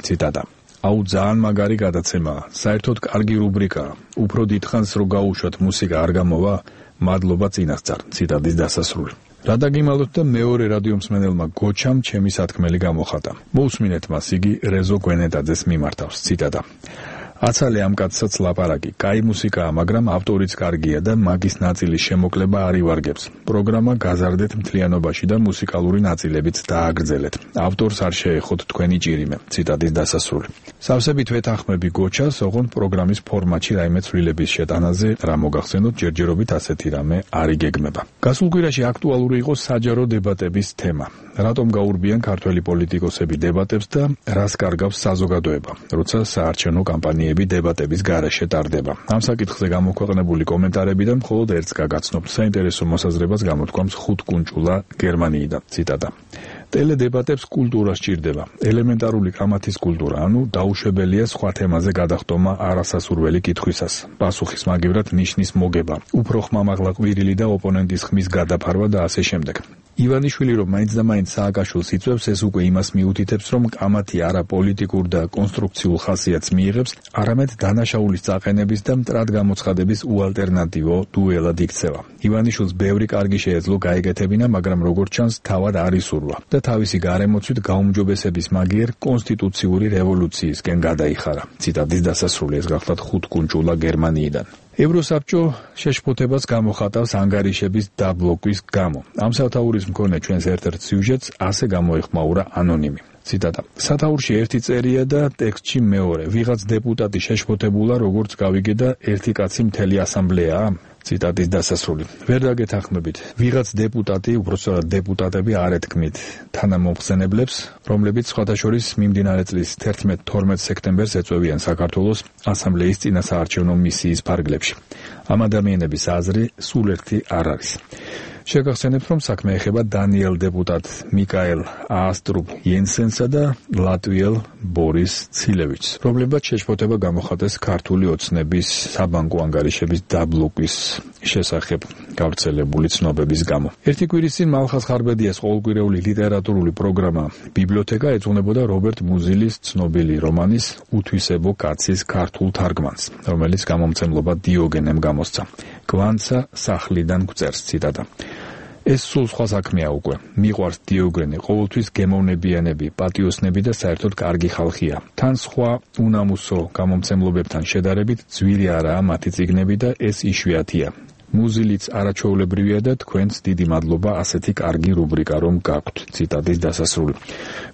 ციტატა. აუ ძალიან მაგარი გადაცემაა. საერთოდ კარგი რუბრიკაა. უფრო დიდხანს რო გაუშვათ მუსიკა არ გამოვა? მადლობა წინასწარ. ციტატის დასასრული. რა დაგიმალოთ და მეორე რადიომსმენელმა გოჩამ ჩემი სათქმელი გამოხატა. მოусმინეთ მას, იგი რეზო გვენეტაძეს მიმართავს. ციტატა. აცალე ამ კაცსაც ლაპარაკი. კაი მუსიკაა, მაგრამ ავტორიც კარგია და მაგის ნაწილის შემოკლება არ ივარგებს. პროგრამა გაზარდეთ მთლიანობაში და მუსიკალური ნაწილებიც დააგრძელეთ. ავტორს არ შეეხოთ თქვენი ჭირიმე. ციტატის დასასრული. სავსებით ვეთანხმები გოჩას, ოღონდ პროგრამის ფორმატში რაიმე ცვლილების შეტანაზე რა მოგახსენოთ, ჯერჯერობით ასეთი რამე არ იგეგმება. გასულ კვირაში აქტუალური იყო საჯარო დებატების თემა. რატომ გაურბიან ქართველი პოლიტიკოსები დებატებს და რას კარგავს საზოგადოება, როცა საარჩევნო კამპანია დებატების გარეშე ტარდება. ამ საკითხზე გამოქვეყნებული კომენტარებიდან მხოლოდ ერთს გაგაცნობთ. საინტერესო მოსაზრებას გამოთქვამს ხუთკუნჭულა გერმანიიდან. ციტატა. ტელედებატებს კულტურა სჭირდება, ელემენტარული კამათის კულტურა, ანუ დაუშვებელია სხვა თემაზე გადახტომა არასასურველი კითხვისას. პასუხის მაგივრად ნიშნის მოგება, უფრო ხმამაღლა ყვირილი და ოპონენტის ხმის გადაფარვა და ასე შემდეგ. ივანიშვილი რომ მაინც და მაინც სააკაშვილს იწვევს, ეს უკვე იმას მიუთითებს, რომ კამათი არა პოლიტიკურ და კონსტრუქციულ ხასიათს მიიღებს, არამედ დანაშაულის წაყენების და მტრად გამოცხადების უალტერნატივო დუელად იქცევა. ივანიშვილს ბევრი კარგი შეეძლო გაეკეთებინა, მაგრამ როგორც ჩანს, თავად არ ისურვა და თავისი გარემოცვით გაუმჯობესების მაგიერ კონსტიტუციური რევოლუციისკენ გადაიხარა. ციტატის დასასრული. ეს გახლავთ ხუთკუნჭულა გერმანიიდან. ევროსაბჭო შეშფოთებას გამოხატავს ანგარიშების დაბლოკვის გამო. ამ სათაურის მქონე ჩვენს ერთ-ერთ სიუჟეტს ასე გამოეხმაურა ანონიმი. ციტატა. სათაურში ერთი წერია და ტექსტში მეორე. ვიღაც დეპუტატი შეშფოთებულა, როგორც გავიგე და ერთი კაცი მთელი ასამბლეაა. ციტატის დასასრული. ვერ დაგეთანხმებით. ვიღაც დეპუტატი, უბრალოდ დეპუტატები არ ეთქმით თანამომხსენებლებს, რომლებიც სხვათა შორის მიმდინარე წლის თერთმეტ-თორმეტ სექტემბერს ეწვევიან საქართველოს ასამბლეის წინასაარჩევნო მისიის ფარგლებში. ამ ადამიანების აზრი სულ ერთი არ არის. შეგახსენებთ, რომ საქმე ეხება დანიელ დეპუტატ მიკაელ აასტრუბ იენსენსა და ლატვიელ ბორის ცილევიჩს. პრობლემად შეშფოთება გამოხატეს ქართული ოცნების საბანკო ანგარიშების დაბლოკვის შესახებ გავრცელებული ცნობების გამო. ერთი კვირის წინ მალხაზ ხარბედიას ყოველკვირეული ლიტერატურული პროგრამა ბიბლიოთეკა ეძღვნებოდა რობერტ მუზილის ცნობილი რომანის უთვისებო კაცის ქართულ თარგმანს, რომელიც გამომცემლობა დიოგენემ გამოსცა. კვანცა სახლიდან გვწერს ციტატა. ეს სულ სხვა საქმეა უკვე. მიყვარს დიოგენე, ყოველთვის გემოვნებიანები, პატიოსნები და საერთოდ კარგი ხალხია. თან სხვა უნამუსო გამომცემლობებთან შედარებით ძვირი არაა მათი წიგნები და ეს იშვიათია. მუზილიც არაჩვეულებრივია და თქვენს დიდი მადლობა ასეთი კარგი რუბრიკა რომ გაქვთ. ციტატის დასასრული.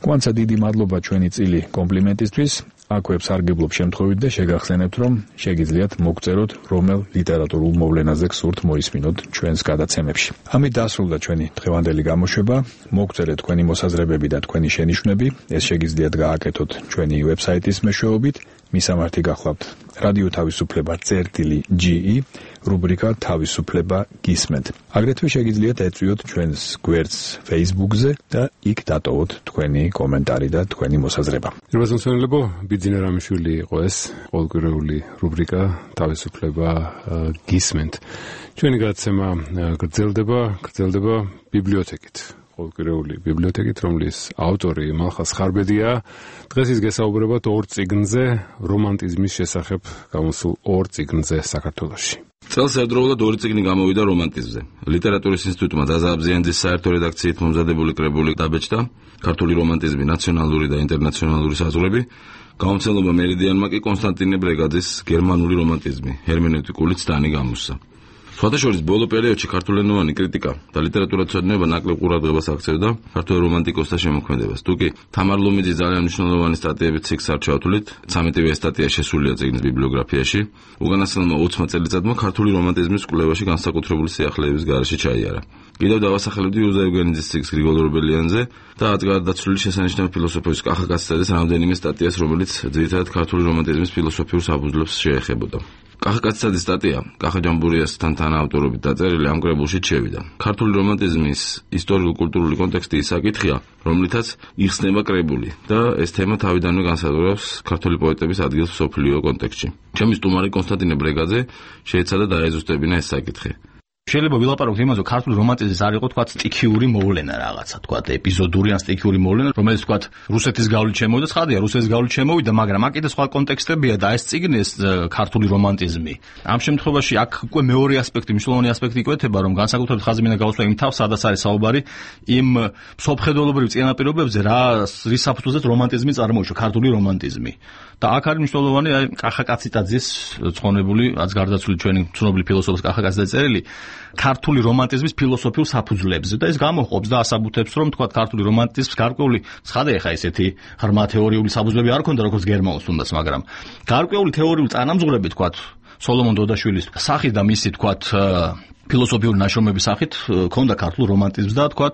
კვანცა დიდი მადლობა ჩვენი წილი კომპლიმენტისთვის. აქვე სარგებლობ შემთხვევით და შეგახსენებთ, რომ შეგიძლიათ მოგწეროთ რომელ ლიტერატურულ მოვლენაზე გსურთ მოისმინოთ ჩვენს გადაცემებში. ამით დასრულდა ჩვენი დღევანდელი გამოშვება. მოგწერეთ თქვენი მოსაზრებები და თქვენი შენიშვნები. ეს შეგიძლიათ გააკეთოთ ჩვენი ვებსაიტის მეშვეობით. მისამართი გახლავთ რადიო თავისუფლება წერტილი ჯი ი რუბრიკა თავისუფლება გისმენთ. აგრეთვე შეგიძლიათ ეწვიოთ ჩვენს გვერდს Facebook-ზე და იქ დატოვოთ თქვენი კომენტარი და თქვენი მოსაზრება. პირველსმცენელებო, ბიძინა რამიშვილი იყო ეს ყოველკვირეული რუბრიკა თავისუფლება გისმენთ. ჩვენი გადაცემა გრძელდება, გრძელდება ბიბლიოთეკით. ყოველკვირეული ბიბლიოთეკით, რომლის ავტორი მალხაზ ხარბედია. დღეს ის გესაუბრებათ ორ წიგნზე, რომანტიზმის შესახებ გამოსულ ორ წიგნზე საქართველოში. წელს ერთდროულად ორი წიგნი გამოვიდა რომანტიზმზე. ლიტერატურის ინსტიტუტმა ზაზა აბზიანძის საერთო რედაქციით მომზადებული კრებული დაბეჭდა ქართული რომანტიზმი, ნაციონალური და ინტერნაციონალური საზღვრები. გამომცემლობა მერიდიანმა კი კონსტანტინე ბრეგაძის გერმანული რომანტიზმი, ჰერმენევტიკული ცდანი გამოსცა. სხვადასხვა ბოლო პერიოდში ქართულენოვანი კრიტიკა და ლიტერატურათმცოდნეობა ნაკლებ ყურადღებას აქცევდა ქართველ რომანტიკოსთა შემოქმედებას. თუკი თამარ ლომიძის ძალიან მნიშვნელოვანი სტატიები ციკლს არ ჩავთვლით, ცამეტივე სტატია შესულია წიგნის ბიბლიოგრაფიაში. უკანასკნელმა ოცმა წელიწადმა ქართული რომანტიზმის კვლევაში განსაკუთრებული სიახლეების გარეშე ჩაიარა. კიდევ დავასახელებდი უზა ევგენიძის ციკლს გრიგოლ ორბელიანზე და ათგარდაცვლილი შესანიშნავი ფილოსოფიის კახა კაცისაძის რამდენიმე სტატიას, რომელიც ძირითადად ქართული რომანტიზმის ფილოსოფიურ საფუძვლებს შეეხებოდა. კახა კაცისაძის სტატია კახა ჯამბურიასთან თანაავტორობით დაწერილი ამ კრებულში შევიდა. ქართული რომანტიზმის ისტორიულ-კულტურული კონტექსტი ის საკითხია, რომლითაც იხსნება კრებული და ეს თემა თავიდანვე განსაზღვრავს ქართული პოეტების ადგილს მსოფლიო კონტექსტში. ჩემი სტუმარი კონსტანტინე ბრეგაძე შეეცადა დაეზუსტებინა ეს საკითხი. შეიძლება ვილაპარაკოთ იმაზე, რომ ქართული რომანტიზმის არ იყო თქვა სტიქიური მოვლენა რაღაცა, თქვა ეპიზოდური ან სტიქიური მოვლენა, რომელიც თქვა რუსეთის გავლით შემოვიდა, ცხადია, რუსეთის გავლით შემოვიდა, მაგრამ აქ კიდე სხვა კონტექსტებია და ეს წიგნი ეს ქართული რომანტიზმი. ამ შემთხვევაში აქ უკვე მეორე ასპექტი, მნიშვნელოვანი ასპექტი იკვეთება, რომ განსაკუთრებით ხაზი მინდა გავუსვა იმ თავს, სადაც არის საუბარი იმ მსოფლმხედველობრივ წინაპირობებზე, რა რის საფუძველზეც რომანტიზმი წარმოიშვა, ქართული რომანტიზმი. და აქ არის მნიშვნელოვანი აი კახა კაცისაძის ცხონებული, რაც გარდაცვლილი ჩვენი ცნობილი ფილოსოფოს კახა კაცისაძის წერილი ქართული რომანტიზმის ფილოსოფიურ საფუძვლებზე და ეს გამოყოფს და ასაბუთებს, რომ თქვა ქართული რომანტიზმის გარკვეული ცხადია ხა ესეთი ღრმა თეორიული საფუძვლები არ ქონდა როგორც გერმანულს თუნდაც, მაგრამ გარკვეული თეორიული წანამძღვრები თქვა სოლომონ დოდაშვილის სახით და მისი თქვა ფილოსოფიური ნაშრომების სახით ქონდა ქართულ რომანტიზმს და თქვა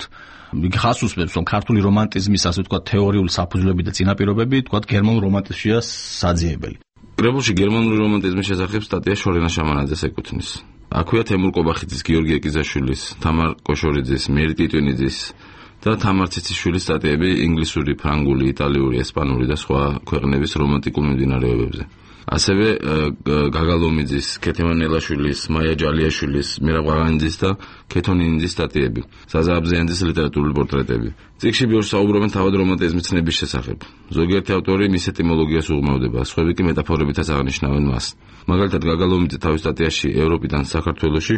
ხას უსმენს, რომ ქართული რომანტიზმის ასე თქვა თეორიული საფუძვლები და წინაპირობები თქვა გერმანულ რომანტიზმშია საძიებელი. კრებულში გერმანული რომანტიზმის შესახებ სტატია შორენა შამანაძეს ეკუთვნის. აქვეა თემურ კობახიძის, გიორგი ეკიზაშვილის, თამარ კოშორიძის, მერი ტიტვინიძის და თამარ ციციშვილის სტატიები ინგლისური, ფრანგული, იტალიური, ესპანური და სხვა ქვეყნების რომანტიკულ მიმდინარეობებზე. ასევე გაგალომიძის, ქეთემან ელაშვილის, მაია ჯალიაშვილის, მირაბ ღაღანიძის და ქეთონინიძის სტატიები, ზაზა აბზიანძის ლიტერატურული პორტრეტები. წიგნში ბევრს საუბრობენ თავად რომანტიზმის ცნების შესახებ. ზოგიერთი ავტორი მის ეტიმოლოგიას უღრმავდება, სხვები კი მეტაფორებითაც აღნიშნავენ მას. მაგალითად, გაგალომიძე თავის სტატიაში ევროპიდან საქართველოში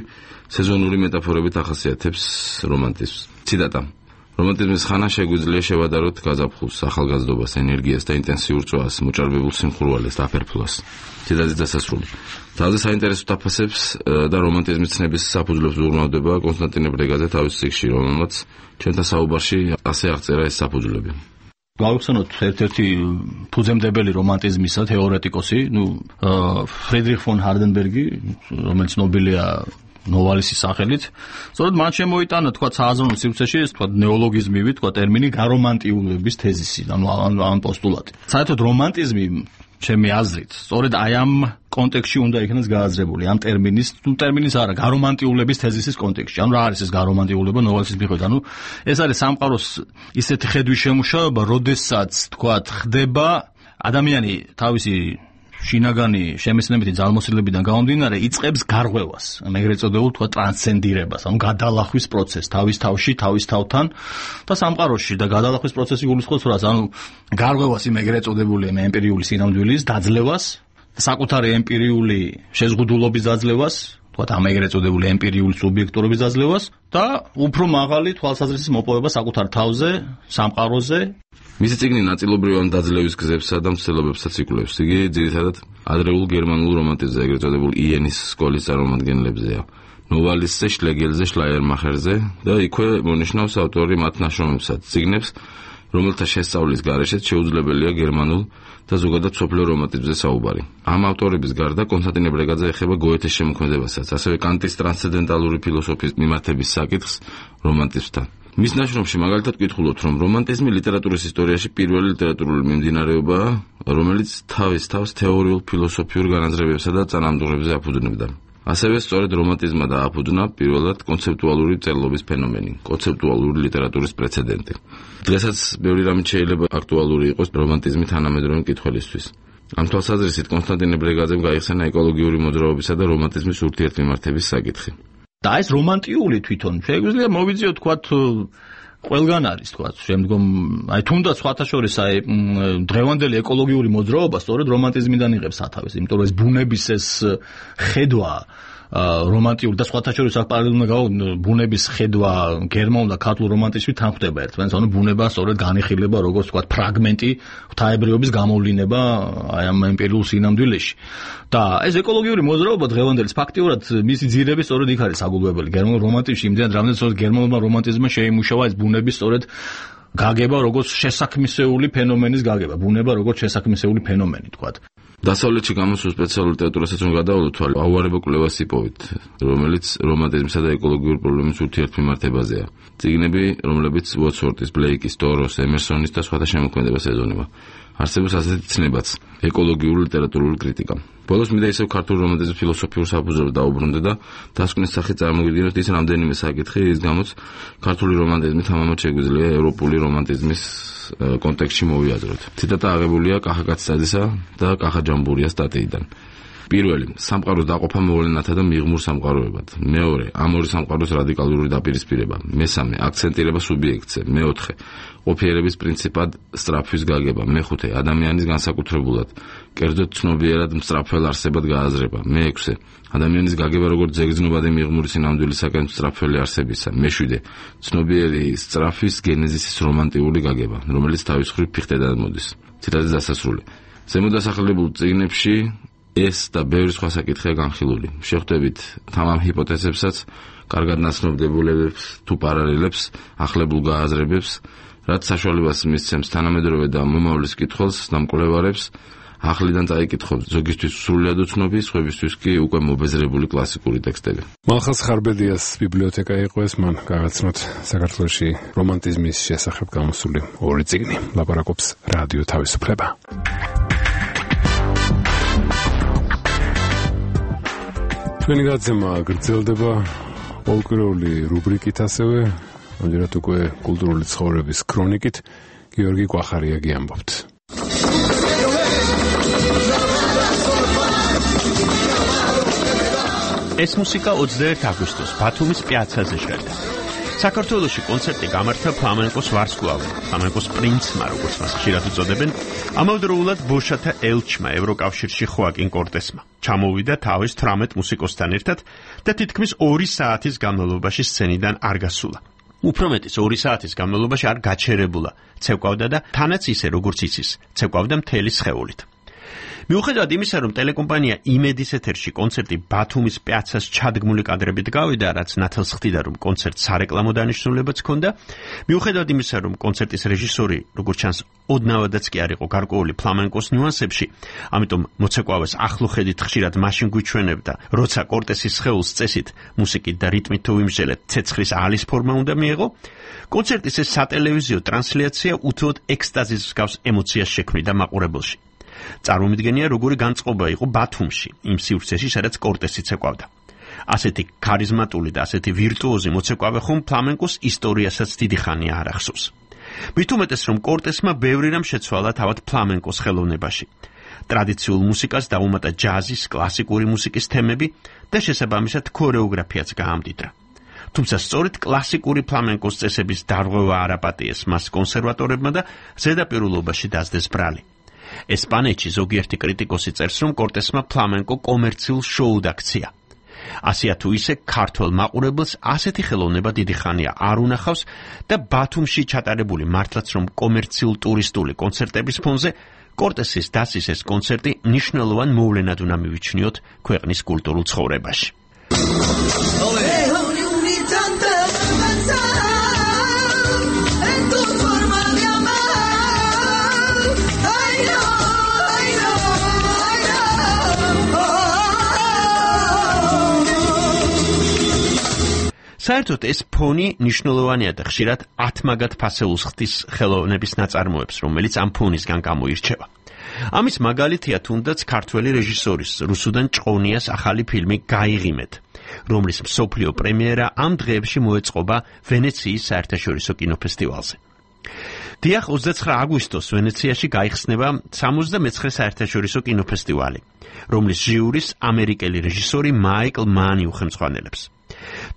სეზონური მეტაფორებით ახასიათებს რომანტიზმს. ციტატა: რომანტიზმის ხანა შეგვიძლია შევადაროთ გაზაფხულს, ახალგაზრდობას, ენერგიას და ინტენსიურ წვას, მოჭარბებულ სიმხურვალეს და აფერფლას. ციტატის დასასრული. ძალზე საინტერესო თაფასებს და რომანტიზმის ცნების საფუძვლებს უღრმავდება კონსტანტინე ბრეგაძე თავის წიგნში, რომელმაც ჩვენთან საუბარში ასე აღწერა ეს საფუძვლები. გავიხსენოთ ერთ-ერთი ფუძემდებელი რომანტიზმისა თეორეტიკოსი, ნუ ფრიდრიხ ფონ ჰარდენბერგი, რომელიც ნობელია ნოვალისის სახელით. სწორედ მან შემოიტანა თქვა სააზროვნო სივრცეში ეს თქვა ნეოლოგიზმივი თქვა ტერმინი გარომანტიულობის თეზისი, ანუ ამ პოსტულატი. საერთოდ რომანტიზმი ჩემი აზრით, სწორედ აი ამ კონტექსტში უნდა იქნას გააზრებული, ამ ტერმინის, თუ ტერმინის არა, გარომანტიულების თეზისის კონტექსტში. ანუ რა არის ეს გარომანტიულება ნოველის მიხედვით? ანუ ეს არის სამყაროს ისეთი ხედვის შემუშავება, როდესაც თქვათ ხდება ადამიანი თავისი შინაგანი შემეცნებითი ძალმოსილებიდან გამომდინარე იწყებს გარღვევას, ეგრეთ წოდებულ თქვა ტრანსცენდირებას, ანუ გადალახვის პროცესს თავის თავში, თავის თავთან და სამყაროში და გადალახვის პროცესი გულისხმობს რას, ანუ გარღვევას იმ ეგრეთ წოდებული ემპირიული სინამდვილის დაძლევას, საკუთარი ემპირიული შეზღუდულობის დაძლევას, თქვა ამ ეგრეთ წოდებული ემპირიული სუბიექტურობის დაძლევას და უფრო მაღალი თვალსაზრისის მოპოვება საკუთარ თავზე, სამყაროზე. მისი წიგნი ნაწილობრივ ამ დაძლევის გზებსა და მცდელობებსაც იკვლევს. იგი ძირითადად ადრეულ გერმანულ რომანტიზმზე, ეგრეთ წოდებულ იენის სკოლის წარმომადგენლებზეა. ნოვალისტზე, შლეგელზე, შლაიერმახერზე და იქვე მონიშნავს ავტორი მათ ნაშრომებსაც, წიგნებს, რომელთა შესწავლის გარეშეც შეუძლებელია გერმანულ და ზოგადად სოფლიო რომანტიზმზე საუბარი. ამ ავტორების გარდა კონსტანტინე ბრეგაძე ეხება გოეთეს შემოქმედებასაც, ასევე კანტის ტრანსცენდენტალური ფილოსოფიის მიმართების საკითხს რომანტიზმთან. მის ნაშრომში მაგალითად კითხულობთ, რომ რომანტიზმი ლიტერატურის ისტორიაში პირველი ლიტერატურული მიმდინარეობაა, რომელიც თავის თავს თეორიულ ფილოსოფიურ განაზრებებსა და წანამძღვრებზე აფუძნებდა. ასევე სწორედ რომანტიზმმა დააფუძნა პირველად კონცეპტუალური წერლობის ფენომენი, კონცეპტუალური ლიტერატურის პრეცედენტი. დღესაც ბევრი რამე შეიძლება აქტუალური იყოს რომანტიზმი თანამედროვე მკითხველისთვის. ამ თვალსაზრისით კონსტანტინე ბრეგაძემ გაიხსენა ეკოლოგიური მოძრაობისა და რომანტიზმის ურთიერთმიმართების საკითხი. და ეს რომანტიული თვითონ შეგვიძლია მოვიძიოთ თქვათ ყველგან არის თქვათ შემდგომ აი თუნდაც სხვათა შორის აი დღევანდელი ეკოლოგიური მოძრაობა სწორედ რომანტიზმიდან იღებს სათავეს, იმიტომ რომ ეს ბუნების ეს ხედვა რომანტიული და სხვათა შორის აქ პარალელურად ბუნების ხედვა გერმანულ და ქართულ რომანტიზმით თანხვდება ერთმანეთს, ანუ ბუნება სწორედ განიხილება როგორც თქვათ ფრაგმენტი ღვთაებრიობის გამოვლინება აი ამ ემპირიულ სინამდვილეში. და ეს ეკოლოგიური მოძრაობა დღევანდელი ფაქტიურად მისი ძირები სწორედ იქ არის საგულვებელი გერმანულ რომანტიზმში, იმდენად რამდენად სწორედ გერმანულმა რომანტიზმმა შეიმუშავა ეს ბუნების სწორედ გაგება როგორც შესაქმნისეული ფენომენის გაგება, ბუნება როგორც შესაქმნისეული ფენომენი თქვათ. დასავლეთში გამოსულ სპეციალურ ლიტერატურასაც რომ გადავალოთ, აუარება კვლევას იპოვით, რომელიც რომანტიზმსა და ეკოლოგიურ პრობლემის ურთიერთმიმართებაზეა. წიგნები, რომლებიც უოტსვორტის, ბლეიკის, დოროს, ემერსონის და სხვათა შემოქმედებას ეძღვნება. არსებობს ასეთი ცნებაც, ეკოლოგიური ლიტერატურული კრიტიკა. ბოლოს მინდა ისევ ქართულ რომანტიზმის ფილოსოფიურ საფუძვლებს დაუბრუნდე და დასკვნის სახით წარმოგიდგინოთ ის რამდენიმე საკითხი, რის გამოც ქართული რომანტიზმი თამამად შეგვიძლია ევროპული რომანტიზმის კონტექსტში მოვიაზროთ. ციტატა აღებულია კახა კაცსაძისა და კახა ჯამბურიას სტატიიდან. პირველი, სამყაროს დაყოფა მოვლენათა და მიღმურ სამყაროებად. მეორე, ამ ორი სამყაროს რადიკალური დაპირისპირება. მესამე, აქცენტირება სუბიექტზე. მეოთხე, ყოფიერების პრინციპად სწრაფვის გაგება. მეხუთე, ადამიანის განსაკუთრებულად, კერძოდ ცნობიერად მსწრაფველ არსებად გააზრება. მეექვსე, ადამიანის გაგება როგორც ზეგრძნობადი მიღმური სინამდვილისაკენ მსწრაფველი არსებისა. მეშვიდე, ცნობიერი სწრაფვის გენეზისის რომანტიული გაგება, რომელიც თავის მხრივ ფიხტედან მოდის. ციტატის დასასრული. ზემოდასახელებულ წიგნებში ეს და ბევრი სხვა საკითხია განხილული. შეხვდებით თამამ ჰიპოთეზებსაც, კარგად ნაცნობდებულებებს თუ პარალელებს, ახლებულ გააზრებებს, რაც საშუალებას მისცემს თანამედროვე და მომავლის კითხვას და მკვლევარებს ახლიდან წაიკითხოთ ზოგისთვის სრულად უცნობი, სხვებისთვის კი უკვე მობეზრებული კლასიკური ტექსტები. მალხაზ ხარბედიას ბიბლიოთეკა იყო ეს, მან გაგაცნოთ საქართველოში რომანტიზმის შესახებ გამოსული ორი წიგნი. ლაპარაკობს რადიო თავისუფლება. ჩვენი გაცემა გრძელდება პოლკრეული რუბრიკით, ასევე ამჯერად უკვე კულტურული ცხოვრების ქრონიკით. გიორგი კვახარიაგი ამბობთ. ეს მუსიკა ოცდაერთი აგვისტოს ბათუმის პიაცაზე შედგა. საქართველოში კონცერტი გამართა ფლამენკოს ვარსკვლავი, ფლამენკოს პრინცმა, როგორც მას ხშირად უწოდებენ, ამავდროულად ბოშათა ელჩმა ევროკავშირში ხოაკინ კორტესმა. ჩამოვიდა თავის თვრამეტ მუსიკოსთან ერთად და თითქმის ორი საათის განმავლობაში სცენიდან არ გასულა. უფრო მეტიც ორი საათის განმავლობაში არ გაჩერებულა, ცეკვავდა და თანაც ისე როგორც იცის, ცეკვავდა მთელი სხეულით. მიუხედავად იმისა, რომ ტელეკომპანია იმედის ეთერში კონცერტი ბათუმის პიაცას ჩადგმული კადრებით გავიდა, რაც ნათელს ხდიდა, რომ კონცერტს სარეკლამო დანიშნულებაც ჰქონდა, მიუხედავად იმისა, რომ კონცერტის რეჟისორი, როგორც ჩანს, ოდნავადაც კი არ იყო გარკვეული ფლამენკოს ნიუანსებში, ამიტომ მოცეკვავეს ახლო ხედით ხშირად მაშინ გვიჩვენებდა, როცა კორტესის სხეულს წესით, მუსიკით და რიტმით თუ ვიმსჯელეთ, ცეცხლის ალის ფორმა უნდა მიეღო, კონცერტის ეს სატელევიზიო ტრანსლაცია უთუოდ ექსტაზის მსგავს ემოციას შექმნიდა მაყურებელში. წარმომიდგენია, როგორი განწყობა იყო ბათუმში, იმ სივრცეში, სადაც კორტესიც ეკავდა. ასეთი ქარიზმატული და ასეთი ვირტუოზი მოცეკვავე ხომ ფლამენკოს ისტორიასაც დიდი ხანია არ ახსოვს. მით უმეტეს, რომ კორტესმა ბევრი რამ შეცვალა თავად ფლამენკოს ხელოვნებაში. ტრადიციულ მუსიკას დაუმატა ჯაზის, კლასიკური მუსიკის თემები და შესაბამისად ქორეოგრაფიაც გაამდიდრა. თუმცა სწორედ კლასიკური ფლამენკოს წესების დარღვევა არ აპატიეს მას კონსერვატორებმა და ზედაპირულობაში დასდეს ბრალი. ესპანეთში ზოგიერთი კრიტიკოსი წერს, რომ კორტესმა ფლამენკო კომერციულ შოუდ აქცია. ასეა თუ ისე ქართველ მაყურებელს ასეთი ხელოვნება დიდი ხანია არ უნახავს და ბათუმში ჩატარებული მართლაც რომ კომერციულ ტურისტული კონცერტების ფონზე კორტესის დასის ეს კონცერტი მნიშვნელოვან მოვლენად უნდა მივიჩნიოთ ქვეყნის კულტურულ ცხოვრებაში. საერთოდ ეს ფონი მნიშვნელოვანია და ხშირად ათმაგად ფასეულს ხდის ხელოვნების ნაწარმოებს, რომელიც ამ ფონისგან გამოირჩევა. ამის მაგალითია თუნდაც ქართველი რეჟისორის რუსუდან ჭყონიას ახალი ფილმი გაიღიმეთ, რომლის მსოფლიო პრემიერა ამ დღეებში მოეწყობა ვენეციის საერთაშორისო კინოფესტივალზე. დიახ, ოცდაცხრა აგვისტოს ვენეციაში გაიხსნება სამოცდამეცხრე საერთაშორისო კინოფესტივალი, რომლის ჟიურის ამერიკელი რეჟისორი მაიკლ მანი უხელმძღვანელებს.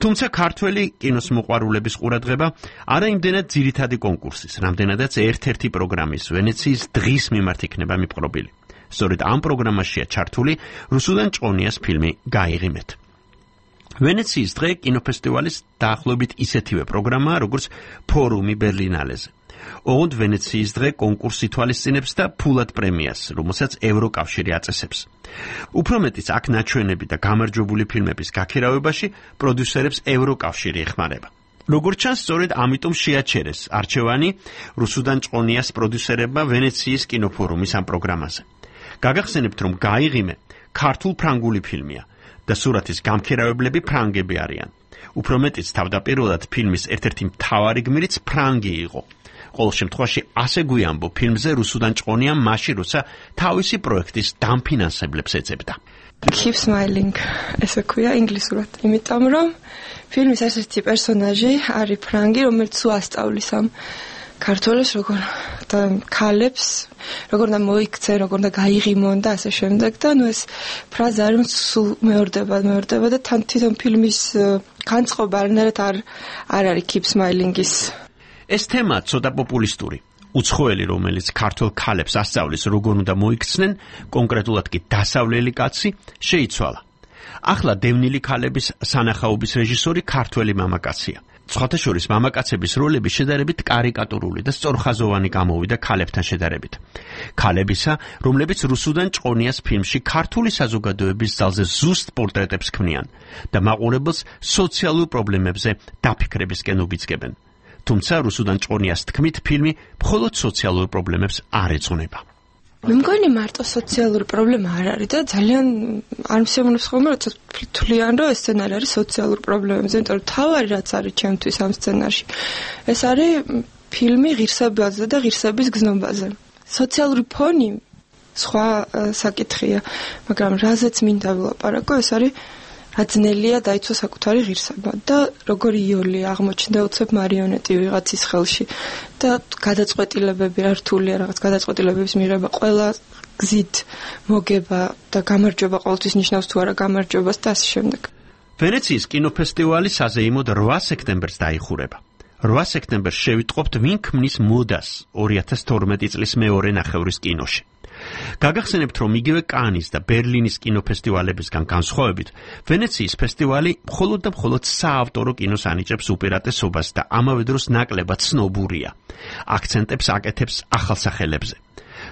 თუმცა ქართველი კინოს მოყვარულების ყურადღება არა იმდენად ძირითადი კონკურსის, რამდენადაც ერთ-ერთი პროგრამის ვენეციის დღის მიმართ იქნება მიპყრობილი. სწორედ ამ პროგრამაშია ჩართული რუსუდან ჭყონიას ფილმი გაიღიმეთ. ვენეციის დღე კინოფესტივალის დაახლოებით ისეთივე პროგრამაა, როგორც ფორუმი ბერლინალეზე. ოღონდ ვენეციის დღე კონკურსს ითვალისწინებს და ფულად პრემიას, რომელსაც ევროკავშირი აწესებს. უფრო მეტიც აქ ნაჩვენები და გამარჯვებული ფილმების გაქირავებაში პროდიუსერებს ევროკავშირი ეხმარება. როგორც ჩანს, სწორედ ამიტომ შეაჩერეს არჩევანი რუსუდან ჭყონიას პროდიუსერებმა ვენეციის კინოფორუმის ამ პროგრამაზე. გაგახსენებთ, რომ გაიღიმე ქართულ-ფრანგული ფილმია და სურათის გამქირავებლები ფრანგები არიან. უფრო მეტიც თავდაპირველად ფილმის ერთ-ერთი მთავარი გმირიც ფრანგი იყო. ყოველ შემთხვევაში ასე გვიამბო ფილმზე რუსუდან ჭყონიამ მაშინ, როცა თავისი პროექტის დამფინანსებლებს ეძებდა. Keep smiling, ესე ქვია ინგლისურად, იმიტომ რომ ფილმის ერთ-ერთი პერსონაჟი არის ფრანგი, რომელიც უასწავლის ამ ქართველებს როგორ და ქალებს, როგორ და მოიქცენ, როგორ და გაიღიმონ და ასე შემდეგ და ნუ ეს ფრაზა არის სულ მეორდება, მეორდება და თან თვითონ ფილმის განწყობა არანაირად არ არ არის Keep Smiling-ის. ეს თემა ცოტა პოპულისტური. უცხოელი, რომელიც ქართულ ქალებს ასწავლის, როგორ უნდა მოიქცნენ, კონკრეტულად კი დასავლელი კაცი, შეიცვალა. ახლა დევნილი ქალების სანახაობის რეჟისორი ქართველი მამაკაცია. სხვათა შორის მამაკაცების როლები შედარებით კარიკატურული და სწორხაზოვანი გამოვიდა ქალებთან შედარებით. ქალებისა, რომლებიც რუსუდან ჭყონიას ფილმში ქართული საზოგადოების ძალზე ზუსტ პორტრეტებს ქმნიან და მაყურებელს სოციალურ პრობლემებზე დაფიქრებისკენ უბიძგებენ. თუმცა რუსუდან ჭყონიას თქმით, ფილმი მხოლოდ სოციალურ პრობლემებს არ ეძღვნება. მე მგონი მარტო სოციალური პრობლემა არ არის და ძალიან არ მსიამოვნებს ხოლმე, როცა თვლიან, რომ ეს სცენარი არის სოციალურ პრობლემებზე, იმიტომ რომ თავარი რაც არის ჩემთვის ამ სცენარში, ეს არის ფილმი ღირსებაზე და ღირსების გზნობაზე. სოციალური ფონი სხვა საკითხია, მაგრამ რაზეც მინდა ვილაპარაკო, ეს არის აძნელია დაიცვა საკუთარი ღირსება და როგორი იოლი აღმოჩნდა უცებ მარიონეტი ვიღაცის ხელში და გადაწყვეტილებები რთულია რაღაც გადაწყვეტილებების მიღება ყველა გზით მოგება და გამარჯვება ყოველთვის ნიშნავს თუ არა გამარჯვებას და ასე შემდეგ. ვენეციის კინოფესტივალი საზეიმოდ რვა სექტემბერს დაიხურება. რვა სექტემბერს შევიტყობთ ვინ ქმნის მოდას ორი ათას თორმეტი წლის მეორე ნახევრის კინოში. გაგახსენებთ, რომ იგივე კანის და ბერლინის კინოფესტივალებისგან განსხვავებით, ვენეციის ფესტივალი მხოლოდ და მხოლოდ საავტორო კინოს ანიჭებს უპირატესობას და ამავე დროს ნაკლებად ცნობურია. აქცენტებს აკეთებს ახალსახელებზე.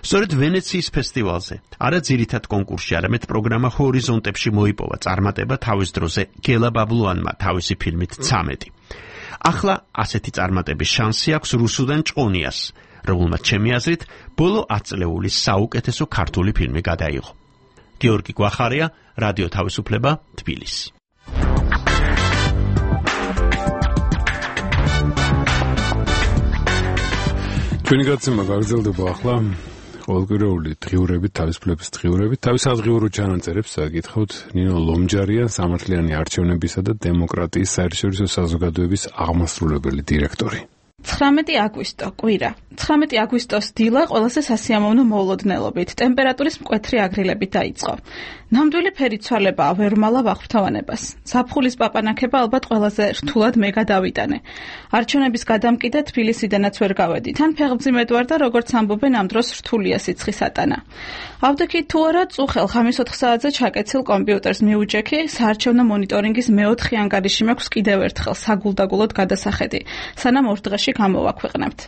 სწორედ ვენეციის ფესტივალზე, არა ძირითად კონკურსში, არამედ პროგრამა ჰორიზონტებში მოიპოვა წარმატება თავის დროზე გელა ბაბლუანმა თავისი ფილმით ცამეტი. ახლა ასეთი წარმატების შანსი აქვს რუსუდან ჭყონიას, რომელმაც ჩემი აზრით ბოლო ათ წლეულის საუკეთესო ქართული ფილმი გადაიღო. გიორგი გვახარია, რადიო თავისუფლება, თბილისი. ჩვენი გაცემა გაგრძელდება ახლა. ყოველკვირეული დღიურებით, თავისუფლების დღიურებით, თავის აღღიურო ჩანაწერებს გითხავთ ნინო ლომჯარიან, სამართლიანი არჩევნებისა და დემოკრატიის საერთაშორისო საზოგადოების აღმასრულებელი დირექტორი. ცხრამეტი აგვისტო, კვირა. ცხრამეტი აგვისტოს დილა ყველაზე სასიამოვნო მოულოდნელობით, ტემპერატურის მკვეთრი აგრილებით დაიწყო. ნამდვილი ფერიცვალებაა ვერმალა ვახვრთოვანებას. ზაფხულის პაპანაქება ალბათ ყველაზე რთულად მე გადავიტანე. არჩევნების გადამკიდე თბილისიდანაც ვერ გავედი. თან ფეხმძიმედ ვარ და როგორც ამბობენ ამ დროს რთულია სიცხის ატანა. ავდექით თუ არა წუხელ ხამის ოთხ საათზე ჩაკეცილ კომპიუტერს მიუჯექი, საარჩევნო მონიტორინგის მეოთხე ანგარიში მაქვს კიდევ ერთხელ საგულდაგულოდ გადასახედი, სანამ ორ დღეში გამოვაქვეყნებთ.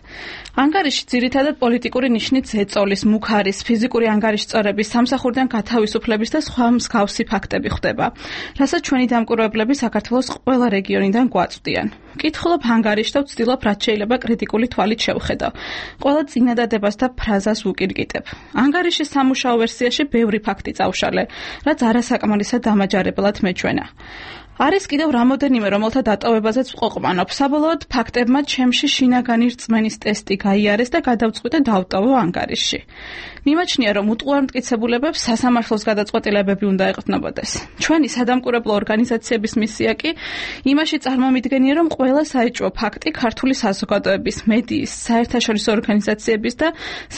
ანგარიში ძირითადად პოლიტიკური ნიშნით ზეწოლის, მუქარის, ფიზიკური ანგარიშწორების, სამსახურიდან გათავისუფლების და სხვა მსგავსი ფაქტები ხდება, რასაც ჩვენი დამკვირვებლები საქართველოს ყველა რეგიონიდან გვაწვდიან. ვკითხულობ ანგარიშს და ვცდილობ რაც შეიძლება კრიტიკული თვალით შევხედო. ყველა წინადადებას და ფრაზას ვუკირგიტებ. ანგარიშის სამუშაო ვერსიაში ბევრი ფაქტი წავშალე, რაც არასაკმარისად დამაჯარებლად მეჩვენა. არის კიდევ რამოდენიმე, რომელთა დატოვებაზეც ვყოყმანობ. საბოლოოდ ფაქტებმა ჩემში შინაგანი რწმენის ტესტი გაიარეს და გადავწყვიტე დავტოვო ანგარიში. მიმაჩნია, რომ უტყუარმტკიცებულებებს სასამართლოს გადაწყვეტილებები უნდა ეყრდნობოდეს. ჩვენი სადამკვირვებლო ორგანიზაციების მისია კი იმაში წარმომიდგენია, რომ ყველა საეჭვო ფაქტი ქართული საზოგადოების, მედიის, საერთაშორისო ორგანიზაციების და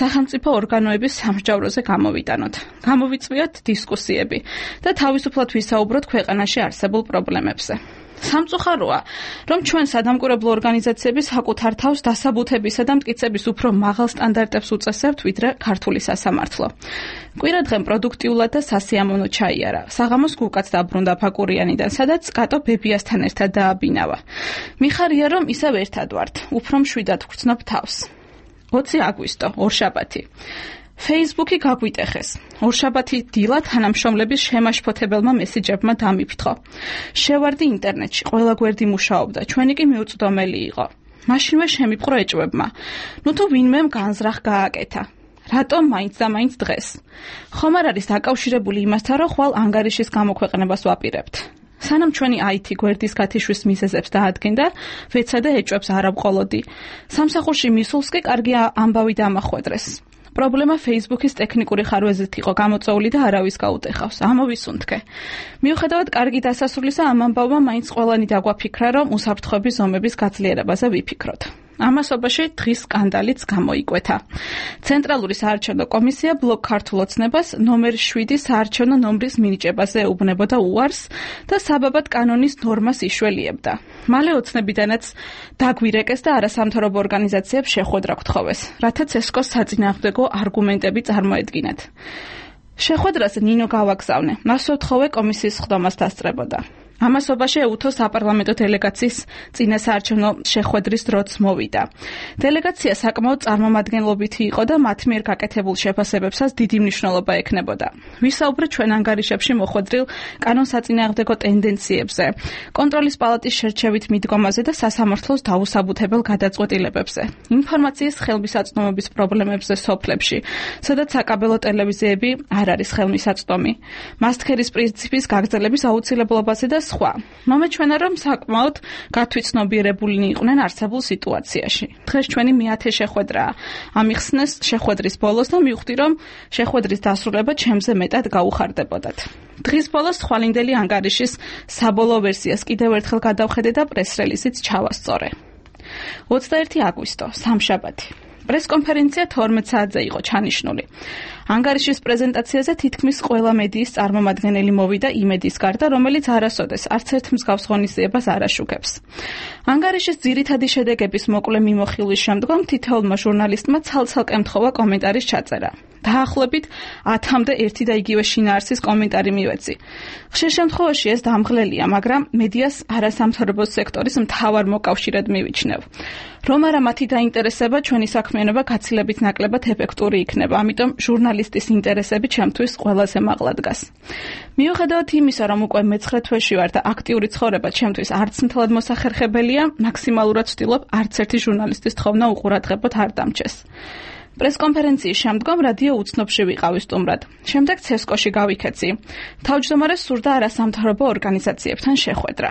სახელმწიფო ორგანოების სამსჯავროზე გამოვიტანოთ. გამოვიწვიოთ დისკუსიები და თავისუფლად ვისაუბროთ ქვეყანაში არსებულ პრობლემებზე. სამწუხაროა, რომ ჩვენ სადამკვირვებლო ორგანიზაციები საკუთარ თავს დასაბუთებისა და მტკიცების უფრო მაღალ სტანდარტებს უწესებთ, ვიდრე ქართული სასამართლო. კვირადღემ პროდუქტიულად და სასიამოვნო ჩაიარა. საღამოს გუკაც დაბრუნდა ფაკურიანიდან, სადაც კატო ბებიასთან ერთად დააბინავა. მიხარია, რომ ისევ ერთად ვართ. უფრო მშვიდად ვგრძნობ თავს. ოცი აგვისტო, ორშაბათი. Facebook-ი გაგვიტეხეს. ორშაბათი დილა თანამშრომლების შემაშფოთებელმა მესიჯებმა დამიფრთხო. შევარდი ინტერნეტში, ყველა გვერდი მუშაობდა, ჩვენი კი მიუწვდომელი იყო. მაშინვე შემიპყრო ეჭვებმა. ნუ თუ ვინმემ განზრახ გააკეთა. რატომ მაინც და მაინც დღეს? ხომ არ არის დაკავშირებული იმასთან, რომ ხვალ ანგარიშის გამოქვეყნებას ვაპირებთ. სანამ ჩვენი აი თი გვერდის გათიშვის მიზეზებს დაადგენდა, ვეცადე ეჭვებს არ ავყოლოდი. სამსახურში მისულს კი კარგი ამბავი დამახვედრეს. პრობლემა Facebook-ის ტექნიკური ხარვეზით იყო გამოწვეული და არავის გაუტეხავს. ამოვისუნთქე. მიუხედავად კარგი დასასრულისა, ამ ამბავმა მაინც ყველანი დაგვაფიქრა, რომ უსაფრთხოების ზომების გაძლიერებაზე ვიფიქროთ. ამასობაში დღის სკანდალიც გამოიკვეთა. ცენტრალური საარჩევნო კომისია ბლოკ ქართულ ოცნებას ნომერ შვიდი საარჩევნო ნომრის მინიჭებაზე ეუბნებოდა უარს და საბაბად კანონის ნორმას იშველიებდა. მალე ოცნებიდანაც დაგვირეკეს და არასამთავრობო ორგანიზაციებს შეხვედრა გთხოვეს, რათა ცესკოს საწინააღმდეგო არგუმენტები წარმოედგინათ. შეხვედრაზე ნინო გავაგზავნე. მას ვთხოვე კომისიის ხდომას დასწრებოდა. ამასობაში ეუთო საპარლამენტო დელეგაციის წინა საარჩევნო შეხვედრის დროც მოვიდა. დელეგაცია საკმაოდ წარმომადგენლობითი იყო და მათ მიერ გაკეთებულ შეფასებებსაც დიდი მნიშვნელობა ექნებოდა. ვისაუბრეთ ჩვენ ანგარიშებში მოხვედრილ კანონსაწინააღმდეგო ტენდენციებზე, კონტროლის პალატის შერჩევით მიდგომაზე და სასამართლოს დაუსაბუთებელ გადაწყვეტილებებზე, ინფორმაციის ხელმისაწვდომობის პრობლემებზე სოფლებში, სადაც საკაბელო ტელევიზიები არ არის ხელმისაწვდომი, მასტქერის პრინციპის გაგრძელების აუცილებლობაზე და სხვა. მომეჩვენა, რომ საკმაოდ გათვითცნობიერებულნი იყვნენ არსებულ სიტუაციაში. დღეს ჩვენი მეათე შეხვედრაა. ამიხსნეს შეხვედრის ბოლოს და მივხვდი, რომ შეხვედრის დასრულება ჩემზე მეტად გაუხარდებოდათ. დღის ბოლოს თვალინდელი ანგარიშის საბოლოო ვერსიას კიდევ ერთხელ გადავხედე და პრეს-რელიზიც ჩავასწორე. ოცდაერთი აგვისტო, სამშაბათი. პრესკონფერენცია თორმეტ საათზე იყო ჩანიშნული. ანგარიშის პრეზენტაციაზე თითქმის ყველა მედიის წარმომადგენელი მოვიდა იმედის გარდა, რომელიც არასოდეს არც ერთ მსგავს ღონისძიებას არ აშუქებს. ანგარიშის ძირითადი შედეგების მოკლე მიმოხილვის შემდგომ თითოეულმა ჟურნალისტმა ცალ-ცალკე ემთხოვა კომენტარის ჩაწერა. დაახლოებით ათამდე ერთი და იგივე შინაარსის კომენტარი მივეცი. ხშირ შემთხვევაში ეს დამღლელია, მაგრამ მედიას არასამთავრობო სექტორის მთავარ მოკავშირედ მივიჩნევ. რომ არა მათი დაინტერესება, ჩვენი საქმიანობა გაცილებით ნაკლებად ეფექტური იქნება, ამიტომ ჟურნალისტის ინტერესები ჩემთვის ყველაზე მაღლა დგას. მიუხედავად იმისა, რომ უკვე მეცხრე თვეში ვარ და აქტიური ცხოვრება ჩემთვის არც მთლად მოსახერხებელია, მაქსიმალურად ვცდილობ არც ერთი ჟურნალისტის თხოვნა უყურადღებოდ არ დამჩეს. პრესკონფერენციის შემდგომ რადიო უცნობში ვიყავი სტუმრად. შემდეგ ცესკოში გავიქეცი. თავმჯდომარეს სურდა არასამთავრობო ორგანიზაციებთან შეხვედრა.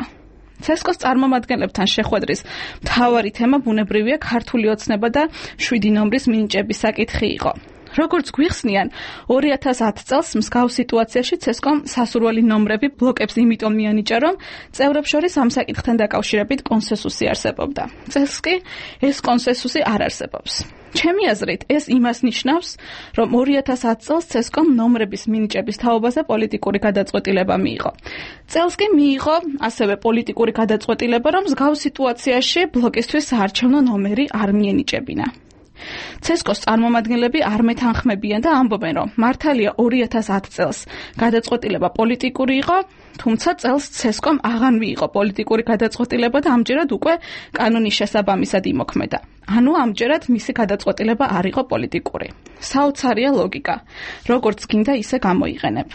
ცესკოს წარმომადგენლებთან შეხვედრის მთავარი თემა ბუნებრივია ქართული ოცნება და შვიდი ნომრის მინიჭების საკითხი იყო. როგორც გვიხსნიან, ორი ათას ათ წელს მსგავს სიტუაციაში ცესკომ სასურველი ნომრები ბლოკებს იმიტომ მიანიჭა, რომ წევრებს შორის ამ საკითხთან დაკავშირებით კონსენსუსი არსებობდა. წელს კი ეს კონსენსუსი არ არსებობს. ჩემი აზრით, ეს იმას ნიშნავს, რომ ორი ათას ათ წელს ცესკომ ნომრების მინიჭების თაობაზე პოლიტიკური გადაწყვეტილება მიიღო. წელს კი მიიღო ასევე პოლიტიკური გადაწყვეტილება, რომ მსგავს სიტუაციაში ბლოკისთვის საარჩევნო ნომერი არ მიენიჭებინა. ცესკოს წარმომადგენლები არ მეთანხმებიან და ამბობენ, რომ მართალია ორი ათას ათ წელს გადაწყვეტილება პოლიტიკური იყო, თუმცა წელს ცესკომ აღარ მიიღო პოლიტიკური გადაწყვეტილება და ამჯერად უკვე კანონის შესაბამისად იმოქმედა. ანუ ამჯერად მისი გადაწყვეტილება არ იყო პოლიტიკური. საოცარია ლოგიკა, როგორც გინდა ისე გამოიყენებ.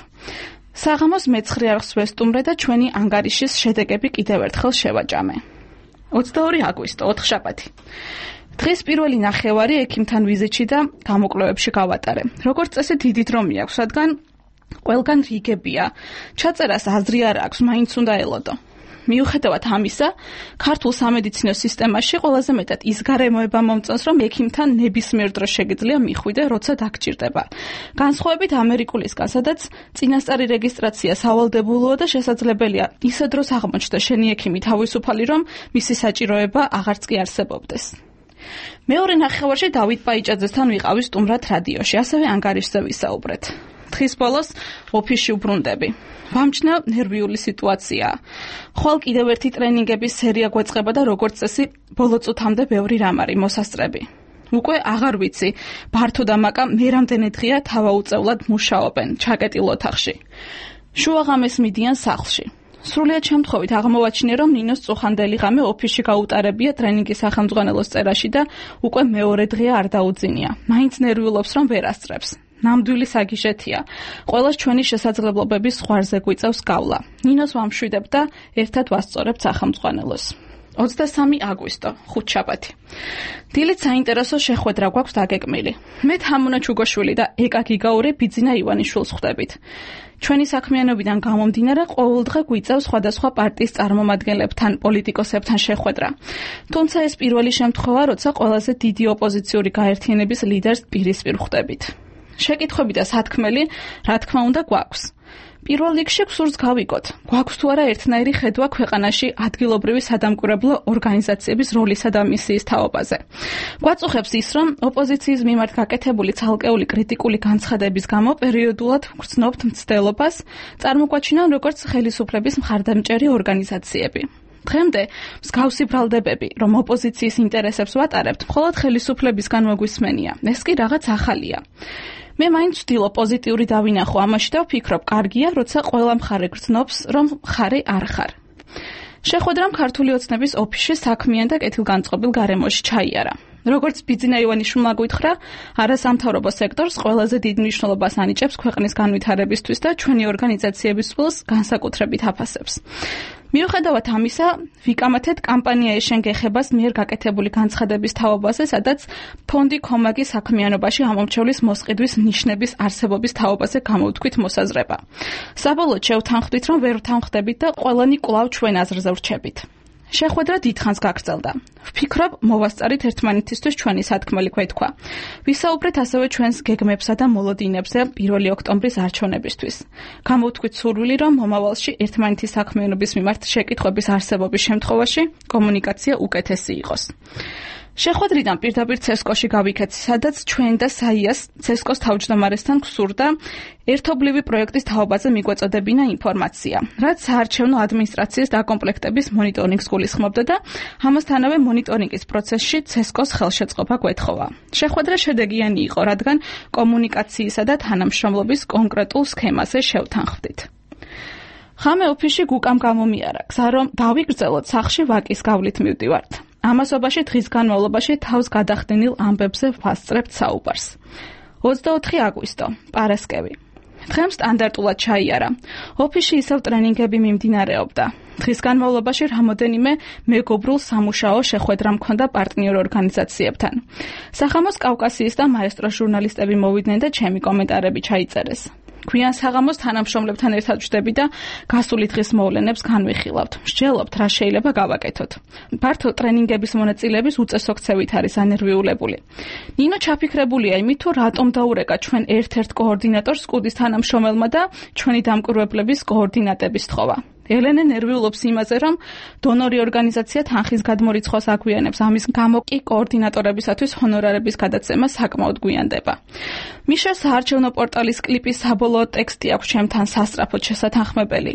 საღამოს მეცხრე არხს ვესტუმრე და ჩვენი ანგარიშის შედეგები კიდევ ერთხელ შევაჭამე. ოცდაორი აგვისტო, ოთხშაბათი. დღეს პირველი ნახევარი ექიმთან ვიზიტში და გამოკვლევებში გავატარე. როგორც წესი დიდი დრო მიაქვს, რადგან ყველგან რიგებია. ჩაწერას აზრი არ აქვს, მაინც უნდა ელოდო. მიუხედავად ამისა, ქართულ სამედიცინო სისტემაში ყველაზე მეტად ის გარემოება მომწონს, რომ ექიმთან ნებისმიერ დროს შეგიძლია მიხვიდე, როცა დაგჭირდება. განსხვავებით ამერიკულისგან, სადაც წინასწარი რეგისტრაცია სავალდებულოა და შესაძლებელია ისე დროს აღმოჩნდა შენი ექიმი თავისუფალი, რომ მისი საჭიროება აღარც კი არსებობდეს. მეორე ნახევარში დავით პაიჭაძესთან ვიყავი სტუმრად რადიოში, ასევე ანგარიშზე ვისაუბრეთ. დღის ბოლოს ოფისში უბრუნდები. ვამჩნევ ნერვიული სიტუაციაა. ხვალ კიდევ ერთი ტრენინგების სერია გვეწყება და როგორც წესი, ბოლო წუთამდე ბევრი რამ არის მოსასწრები. უკვე აღარ ვიცი, ბართო და მაკა მე რამდენი დღეა თავაუწევლად მუშაობენ ჩაკეტილ ოთახში. შუაღამეს მიდიან სახლში. სრულიად შემთხვევით აღმოვაჩინე, რომ ნინოს წუხანდელი ღამე ოფისში გაუტარებია ტრენინგის სახელმძღვანელოს წერაში და უკვე მეორე დღეა არ დაუძინია. მაინც ნერვიულობს, რომ ვერ ასწრებს. ნამდვილი საგიჟეთია. ყველას ჩვენი შესაძლებლობების ზღვარზე გვიწევს გავლა. ნინოს ვამშვიდებ და ერთად ვასწორებთ სახელმძღვანელოს. ოცდასამი აგვისტო, ხუთშაბათი. დილით საინტერესო შეხვედრა გვაქვს დაგეგმილი. მე თამუნა ჩუგოშვილი და ეკა გიგაური ბიძინა ივანიშვილს ხვდებით. ჩვენი საქმიანობიდან გამომდინარე ყოველდღე გვიწევს სხვადასხვა პარტიის წარმომადგენლებთან, პოლიტიკოსებთან შეხვედრა. თუმცა ეს პირველი შემთხვევა, როცა ყველაზე დიდი ოპოზიციური გაერთიანების ლიდერს პირისპირ ხვდებით. შეკითხვები და სათქმელი, რა თქმა უნდა, გვაქვს. პირველ რიგში გსურს გავიგოთ, გვაქვს თუ არა ერთნაირი ხედვა ქვეყანაში ადგილობრივი სადამკვირვებლო ორგანიზაციების როლისა და მისიის თაობაზე. გვაწუხებს ის, რომ ოპოზიციის მიმართ გაკეთებული ცალკეული კრიტიკული განცხადების გამო პერიოდულად გრძნობთ მცდელობას, წარმოგვაჩინონ როგორც ხელისუფლების მხარდამჭერი ორგანიზაციები. დღემდე მსგავსი ბრალდებები, რომ ოპოზიციის ინტერესებს ვატარებთ, მხოლოდ ხელისუფლებისგან მოგვისმენია. ეს კი რაღაც ახალია. მე მაინც ვცდილობ პოზიტიური დავინახო ამაში და ვფიქრობ, კარგია, როცა ყველა მხარე გრძნობს, რომ მხარე არ ხარ. შეხვედრამ ქართული ოცნების ოფისში საქმიან და კეთილგანწყობილ გარემოში ჩაიარა. როგორც ბიძინა ივანიშვილმა გითხრა, არასამთავრობო სექტორს ყველაზე დიდ მნიშვნელობას ანიჭებს ქვეყნის განვითარებისთვის და ჩვენი ორგანიზაციების წყვილს განსაკუთრებით აფასებს. მიუხედავად ამისა, ვიკამათეთ კამპანია ეშენ გეხებას მიერ გაკეთებული განცხადების თაობაზე, სადაც ფონდი კომაგის საქმიანობაში ამომრჩევლის მოსყიდვის ნიშნების არსებობის თაობაზე გამოვთქვით მოსაზრება. საბოლოოდ შევთანხმდით, რომ ვერ ვთანხმდებით და ყველანი კვლავ ჩვენ აზრზე ვრჩებით. შეხვედრა დიდხანს გაგრძელდა. ვფიქრობ, მოვასწარით ერთმანეთისთვის ჩვენი სათქმელი ქვეთქვა. ვისაუბრეთ ასევე ჩვენს გეგმებსა და მოლოდინებზე პირველი ოქტომბრის არჩევნებისთვის. გამოვთქვით სურვილი, რომ მომავალში ერთმანეთის საქმიანობის მიმართ შეკითხვების არსებობის შემთხვევაში კომუნიკაცია უკეთესი იყოს. შეხვედრიდან პირდაპირ ცესკოში გავიქეთ, სადაც ჩვენ და საიას ცესკოს თავმჯდომარესთან გვსურდა ერთობლივი პროექტის თაობაზე მიგვეწოდებინა ინფორმაცია, რაც საარჩევნო ადმინისტრაციის დაკომპლექტების მონიტორინგს გულისხმობდა და ამასთანავე მონიტორინგის პროცესში ცესკოს ხელშეწყობა გვეთხოვა. შეხვედრა შედეგიანი იყო, რადგან კომუნიკაციისა და თანამშრომლობის კონკრეტულ სქემაზე შევთანხმდით. ხამე ოფისში გუკამ გამომიარა, გზა რომ დავიგრძელოთ სახლში ვაკის გავლით მივდივართ. ამასობაში დღის განმავლობაში თავს გადახდენილ ამბებზე ვასწრებთ საუბარს. ოცდაოთხი აგვისტო, პარასკევი. დღემ სტანდარტულად ჩაიარა. ოფისში ისევ ტრენინგები მიმდინარეობდა. დღის განმავლობაში რამოდენიმე მეგობრულ სამუშაო შეხვედრა მქონდა პარტნიორ ორგანიზაციებთან. სახამოს კავკასიის და მაესტრო ჟურნალისტები მოვიდნენ და ჩემი კომენტარები ჩაიწერეს. გვიან საღამოს თანამშრომლებთან ერთად ვждები და გასული დღის მოვლენებს განვიხილავთ. მსჯელობთ, რა შეიძლება გავაკეთოთ. ფართო ტრენინგების მონაწილეების უწესო ქცევით არის ანერვიულებული. ნინო ჩაფიქრებულია იმით, თუ რატომ დაურეკა ჩვენ ერთ-ერთ კოორდინატორს სკუდის თანამშრომელმა და ჩვენი დამკვირვებლების კოორდინატების თხოვა. ელენე ნერვიულობს იმაზე, რომ დონორი ორგანიზაცია თანხის გადმორიცხვას აგვიანებს. ამის გამო კი კოორდინატორებისათვის ჰონორარების გადაცემა საკმაოდ გვიანდება. მიშა საარჩევნო პორტალის კლიპის საბოლოო ტექსტი აქვს ჩემთან სასწრაფოდ შესათანხმებელი.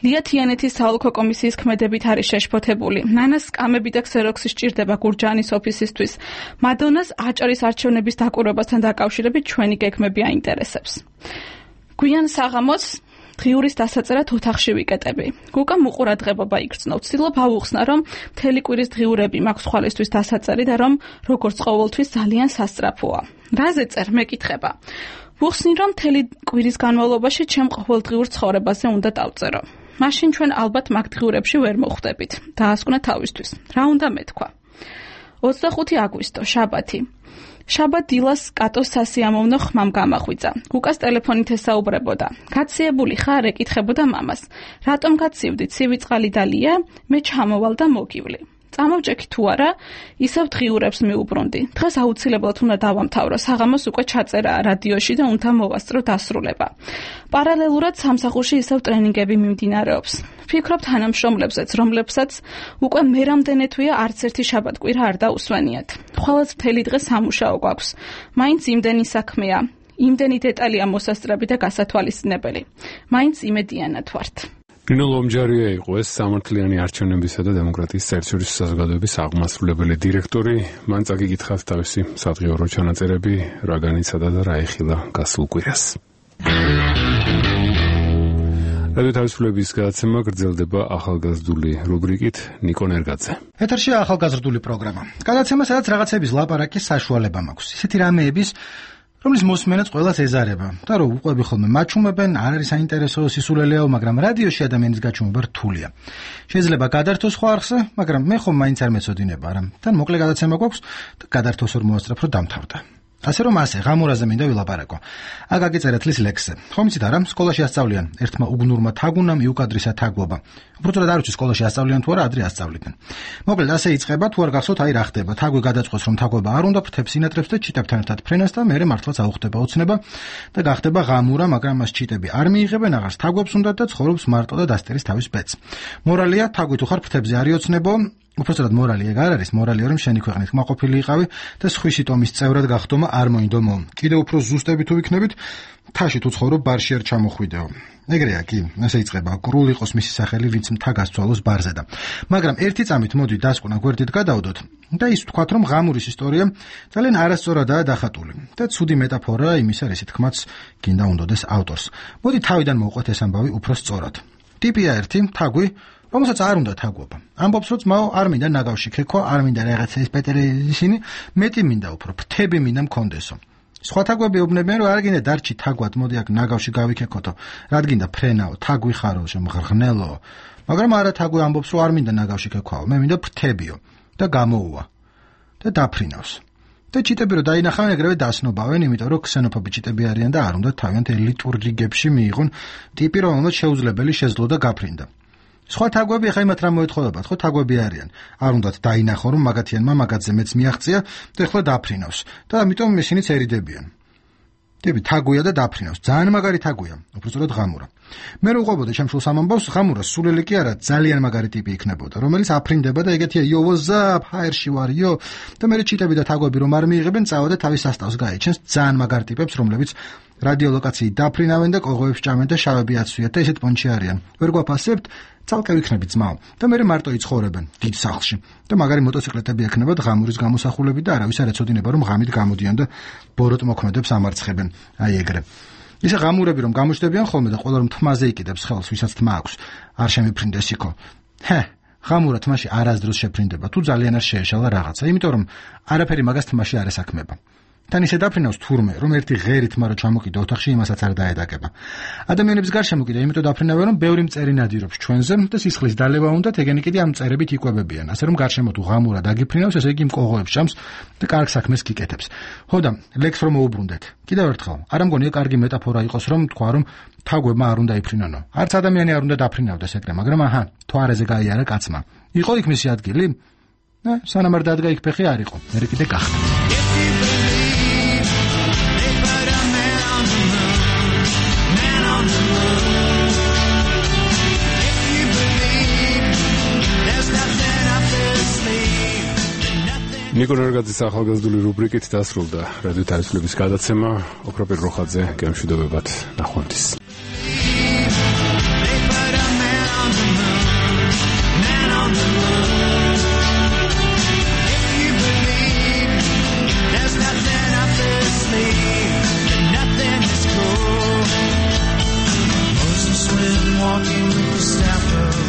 ლია თიანეთის საოლქო კომისიის ქმედებით არის შეშფოთებული. ნანას სკამები და ქსეროქსი სჭირდება გურჯაანის ოფისისთვის. მადონას აჭარის არჩევნების დაკვირვებასთან დაკავშირებით ჩვენი გეგმები აინტერესებს. გვიან საღამოს დღიურის დასაწერად ოთახში ვიკეტები. გუკა მუყურადღებობა იგრძნო. ვცდილობ ავუხსნა, რომ მთელი კვირის დღიურები მაქვს ხვალისთვის დასაწერი და რომ როგორც ყოველთვის ძალიან სასწრაფოა. რაზე წერ მეკითხება. ვუხსნი, რომ მთელი კვირის განმავლობაში ჩემ ყოველდღიურ ცხოვრებაზე უნდა დავწერო. მაშინ ჩვენ ალბათ მაგ დღიურებში ვერ მოხვდებით. დაასკვნა თავისთვის. რა უნდა მეთქვა. ოცდახუთი აგვისტო, შაბათი. შაბათ დილას კატოს სასიამოვნო ხმამ გამახვიძა. გუკას ტელეფონით ესაუბრებოდა. გაციებული ხარ? ეკითხებოდა მამას. რატომ გაცივდი? ცივი წყალი დალია? მე ჩამოვალ და მოგივლი. წამოვჭექი თუ არა, ისევ დღიურებს მიუბრუნდი. დღეს აუცილებლად უნდა დავამთავრო. საღამოს უკვე ჩაწერაა რადიოში და უნდა მოვასწრო დასრულება. პარალელურად სამსახურში ისევ ტრენინგები მიმდინარეობს. ვფიქრობ თანამშრომლებზეც, რომლებსაც უკვე მე რამდენი თვეა არც ერთი შაბათ-კვირა არ დაუსვენიათ. ხვალაც მთელი დღე სამუშაო გვაქვს. მაინც იმდენი საქმეა, იმდენი დეტალია მოსასწრები და გასათვალისწინებელი. მაინც იმედიანად ვართ. ნინო ლომჯარია იყო ეს სამართლიანი არჩევნებისა და დემოკრატიის საერთაშორისო საზოგადოების აღმასრულებელი დირექტორი. მან წაგიკითხათ თავისი სადღიურო ჩანაწერები, რა განიცადა და რა ეხილა გასულ კვირას. რადიო თავისუფლების გადაცემა გრძელდება ახალგაზრდული რუბრიკით ნიკო ნერგაძე. ეთერშია ახალგაზრდული პროგრამა. გადაცემა, სადაც რაღაცების ლაპარაკის საშუალება მაქვს. ისეთი რამეების, რომლის მოსმენაც ყველას ეზარება და რომ უყვები ხოლმე მაჩუმებენ, არ არის საინტერესო, სისულელეო, მაგრამ რადიოში ადამიანის გაჩუმება რთულია. შეიძლება გადართოს ხო არხზე, მაგრამ მე ხომ მაინც არ მეწოდინება, არა. თან მოკლე გადაცემა გვაქვს და გადართოს ვერ მოასწრებ, რომ დამთავრდა. ასე რომ ასე, ღამურაზე მინდა ვილაპარაკო. აქ აგიწერეთ ლის ლექსზე. ხომ იცით არა, სკოლაში ასწავლიან ერთმა უგნურმა თაგუნამ იუკადრისა თაგვობა. უბრალოდ არ ვიცი სკოლაში ასწავლიან თუ არა, ადრე ასწავლიდნენ. მოკლედ ასე იწყება, თუ არ გახსოვთ, აი რა ხდება. თაგვი გადაწყვეტს, რომ თაგვობა არ უნდა, ფრთებს ინატრებს და ჩიტებთან ერთად ფრენას და მერე მართლაც აუხდება ოცნება და გახდება ღამურა, მაგრამ მას ჩიტები არ მიიღებენ, აღარს თაგვებს უნდათ და ცხოვრობს მარტო და დასტერის თავის ბედს. მორალია, თაგვი თუ ხარ ფრთებზე არ იოცნებო. უბრალოდ მორალი ეგ არ არის, მორალია რომ შენი ქვეყნით მაყოფილი იყავი და სხვისი ტომის წევრად გახდომა არ მოინდომო. კიდევ უფრო ზუსტები თუ ვიქნებით, თაში თუ ცხოვრობ ბარში არ ჩამოხვიდეო. ეგრეა კი, ასე იწყება, გრულ იყოს მისი სახელი, ვინც მთა გასცვალოს ბარზე და. მაგრამ ერთი წამით მოდი დასკვნა გვერდით გადავდოთ და ის ვთქვათ, რომ ღამურის ისტორია ძალიან არასწორადაა დახატული და ცუდი მეტაფორაა იმისა, რისი თქმაც გინდა უნდოდეს ავტორს. მოდი თავიდან მოვყვეთ ეს ამბავი უფრო სწორად. ტიპია ერთი, თაგვი, რომელსაც არ უნდა თაგვობა. ამბობს, რომ ძმაო, არ მინდა ნაგავში ქექვა, არ მინდა რაღაცა ის პეტერე ისინი, მეტი მინდა უფრო, ფრთები მინდა მქონდესო. სხვა თაგვები უბნებიან, რომ არ გინდა დარჩი თაგვად, მოდი აქ ნაგავში გავიქექოთო. რადგინდა ფრენაო, თაგვი ხარო, შემღრღნელო. მაგრამ არა, თაგვი ამბობს, რომ არ მინდა ნაგავში ქექვაო, მე მინდა ფრთებიო და გამოუვა და დაფრინავს. და ჩიტები რო დაინახავენ, ეგრევე დასნობავენ, იმიტომ რომ ქსენოფობი ჩიტები არიან და არ უნდა თავიანთ ელიტურ რიგებში მიიღონ ტიპი, რომელმაც შეუძლებელი შეძლო და გაფრინდა. სხვა თაგვები ახლა იმათ რა მოეთხოვებათ, ხო თაგვები არიან. არ უნდათ დაინახო, რომ მაგათიანმა მაგათზე მეც მიაღწია და ახლა დაფრინავს და ამიტომ ისინიც ერიდებიან. ტიპი თაგვია და დაფრინავს. ძალიან მაგარი თაგვია, უბრალოდ ღამურა. მე რო უყვებოდა ჩემშულ სამამბავს, ღამურა სულელი კი არა, ძალიან მაგარი ტიპი იქნებოდა, რომელიც აფრინდება და ეგეთია yo what's up, ჰაერში ვარ yo და მე ჩიტები და თაგვები რომ არ მიიღებენ, წავა და თავის სასტავს გაიჩენს ძალიან მაგარ ტიპებს, რომლებიც რადიოლოკაციით დაფრინავენ და კოღოებს ჭამენ და შავები აცვიათ და ესეთ პონჩი არიან. ვერ გვაფასებთ, ცალკე ვიქნებით ძმაო და მე მარტო იცხოვრებენ დიდ სახლში და მაგარი მოტოციკლეტები ექნებათ ღამურის გამოსახულები და არავის არ ეცოდინება რომ ღამით გამოდიან და ბოროტ მოქმედებს ამარცხებენ. აი ეგრე. ისე ღამურები რომ გამოჩნდებიან ხოლმე და ყველა რომ თმაზე იყიდებს ხელს, ვისაც თმა აქვს, არ შემიფრინდეს იქო. ჰე, ღამურა თმაში არასდროს შეფრინდება, თუ ძალიან არ შეეშალა რაღაცა, იმიტომ რომ არაფერი მაგას თმაში არ ესაქმება. თან ისე დაფრინავს თურმე, რომ ერთი ღერით მარო ჩამოკიდე ოთახში იმასაც არ დაედაგება. ადამიანების გარშემო კიდე იმიტომ დაფრინავენ, რომ ბევრი მწერი ნადირობს ჩვენზე და სისხლის დალევა უნდათ, ეგენი კიდე ამ მწერებით იკვებებიან. ასე რომ გარშემო თუ ღამურა დაგიფრინავს, ესე იგი მკოღოებს ჭამს და კარგ საქმეს გიკეთებს. ხო და ლექს რომ მოუბრუნდეთ. კიდევ ერთხელ, არ ამგონია კარგი მეტაფორა იყოს, რომ თქვა, რომ თაგვებმა არ უნდა იფრინონო. არც ადამიანი არ უნდა დაფრინავდეს ეგრე, მაგრამ აჰა, თვარეზე გაიარა კაცმა. იყო იქ მისი ადგილი? ნე, სანამ არ დადგა იქ ფეხი არ იყო. მერე კიდე გახდა. ნიკო ნარგაძის ახალგაზრდული რუბრიკით დასრულდა რადიო თავისუფლების გადაცემა. ოქროპირ როხაძე გემშვიდობებად ნახვამდის. Walking with the staff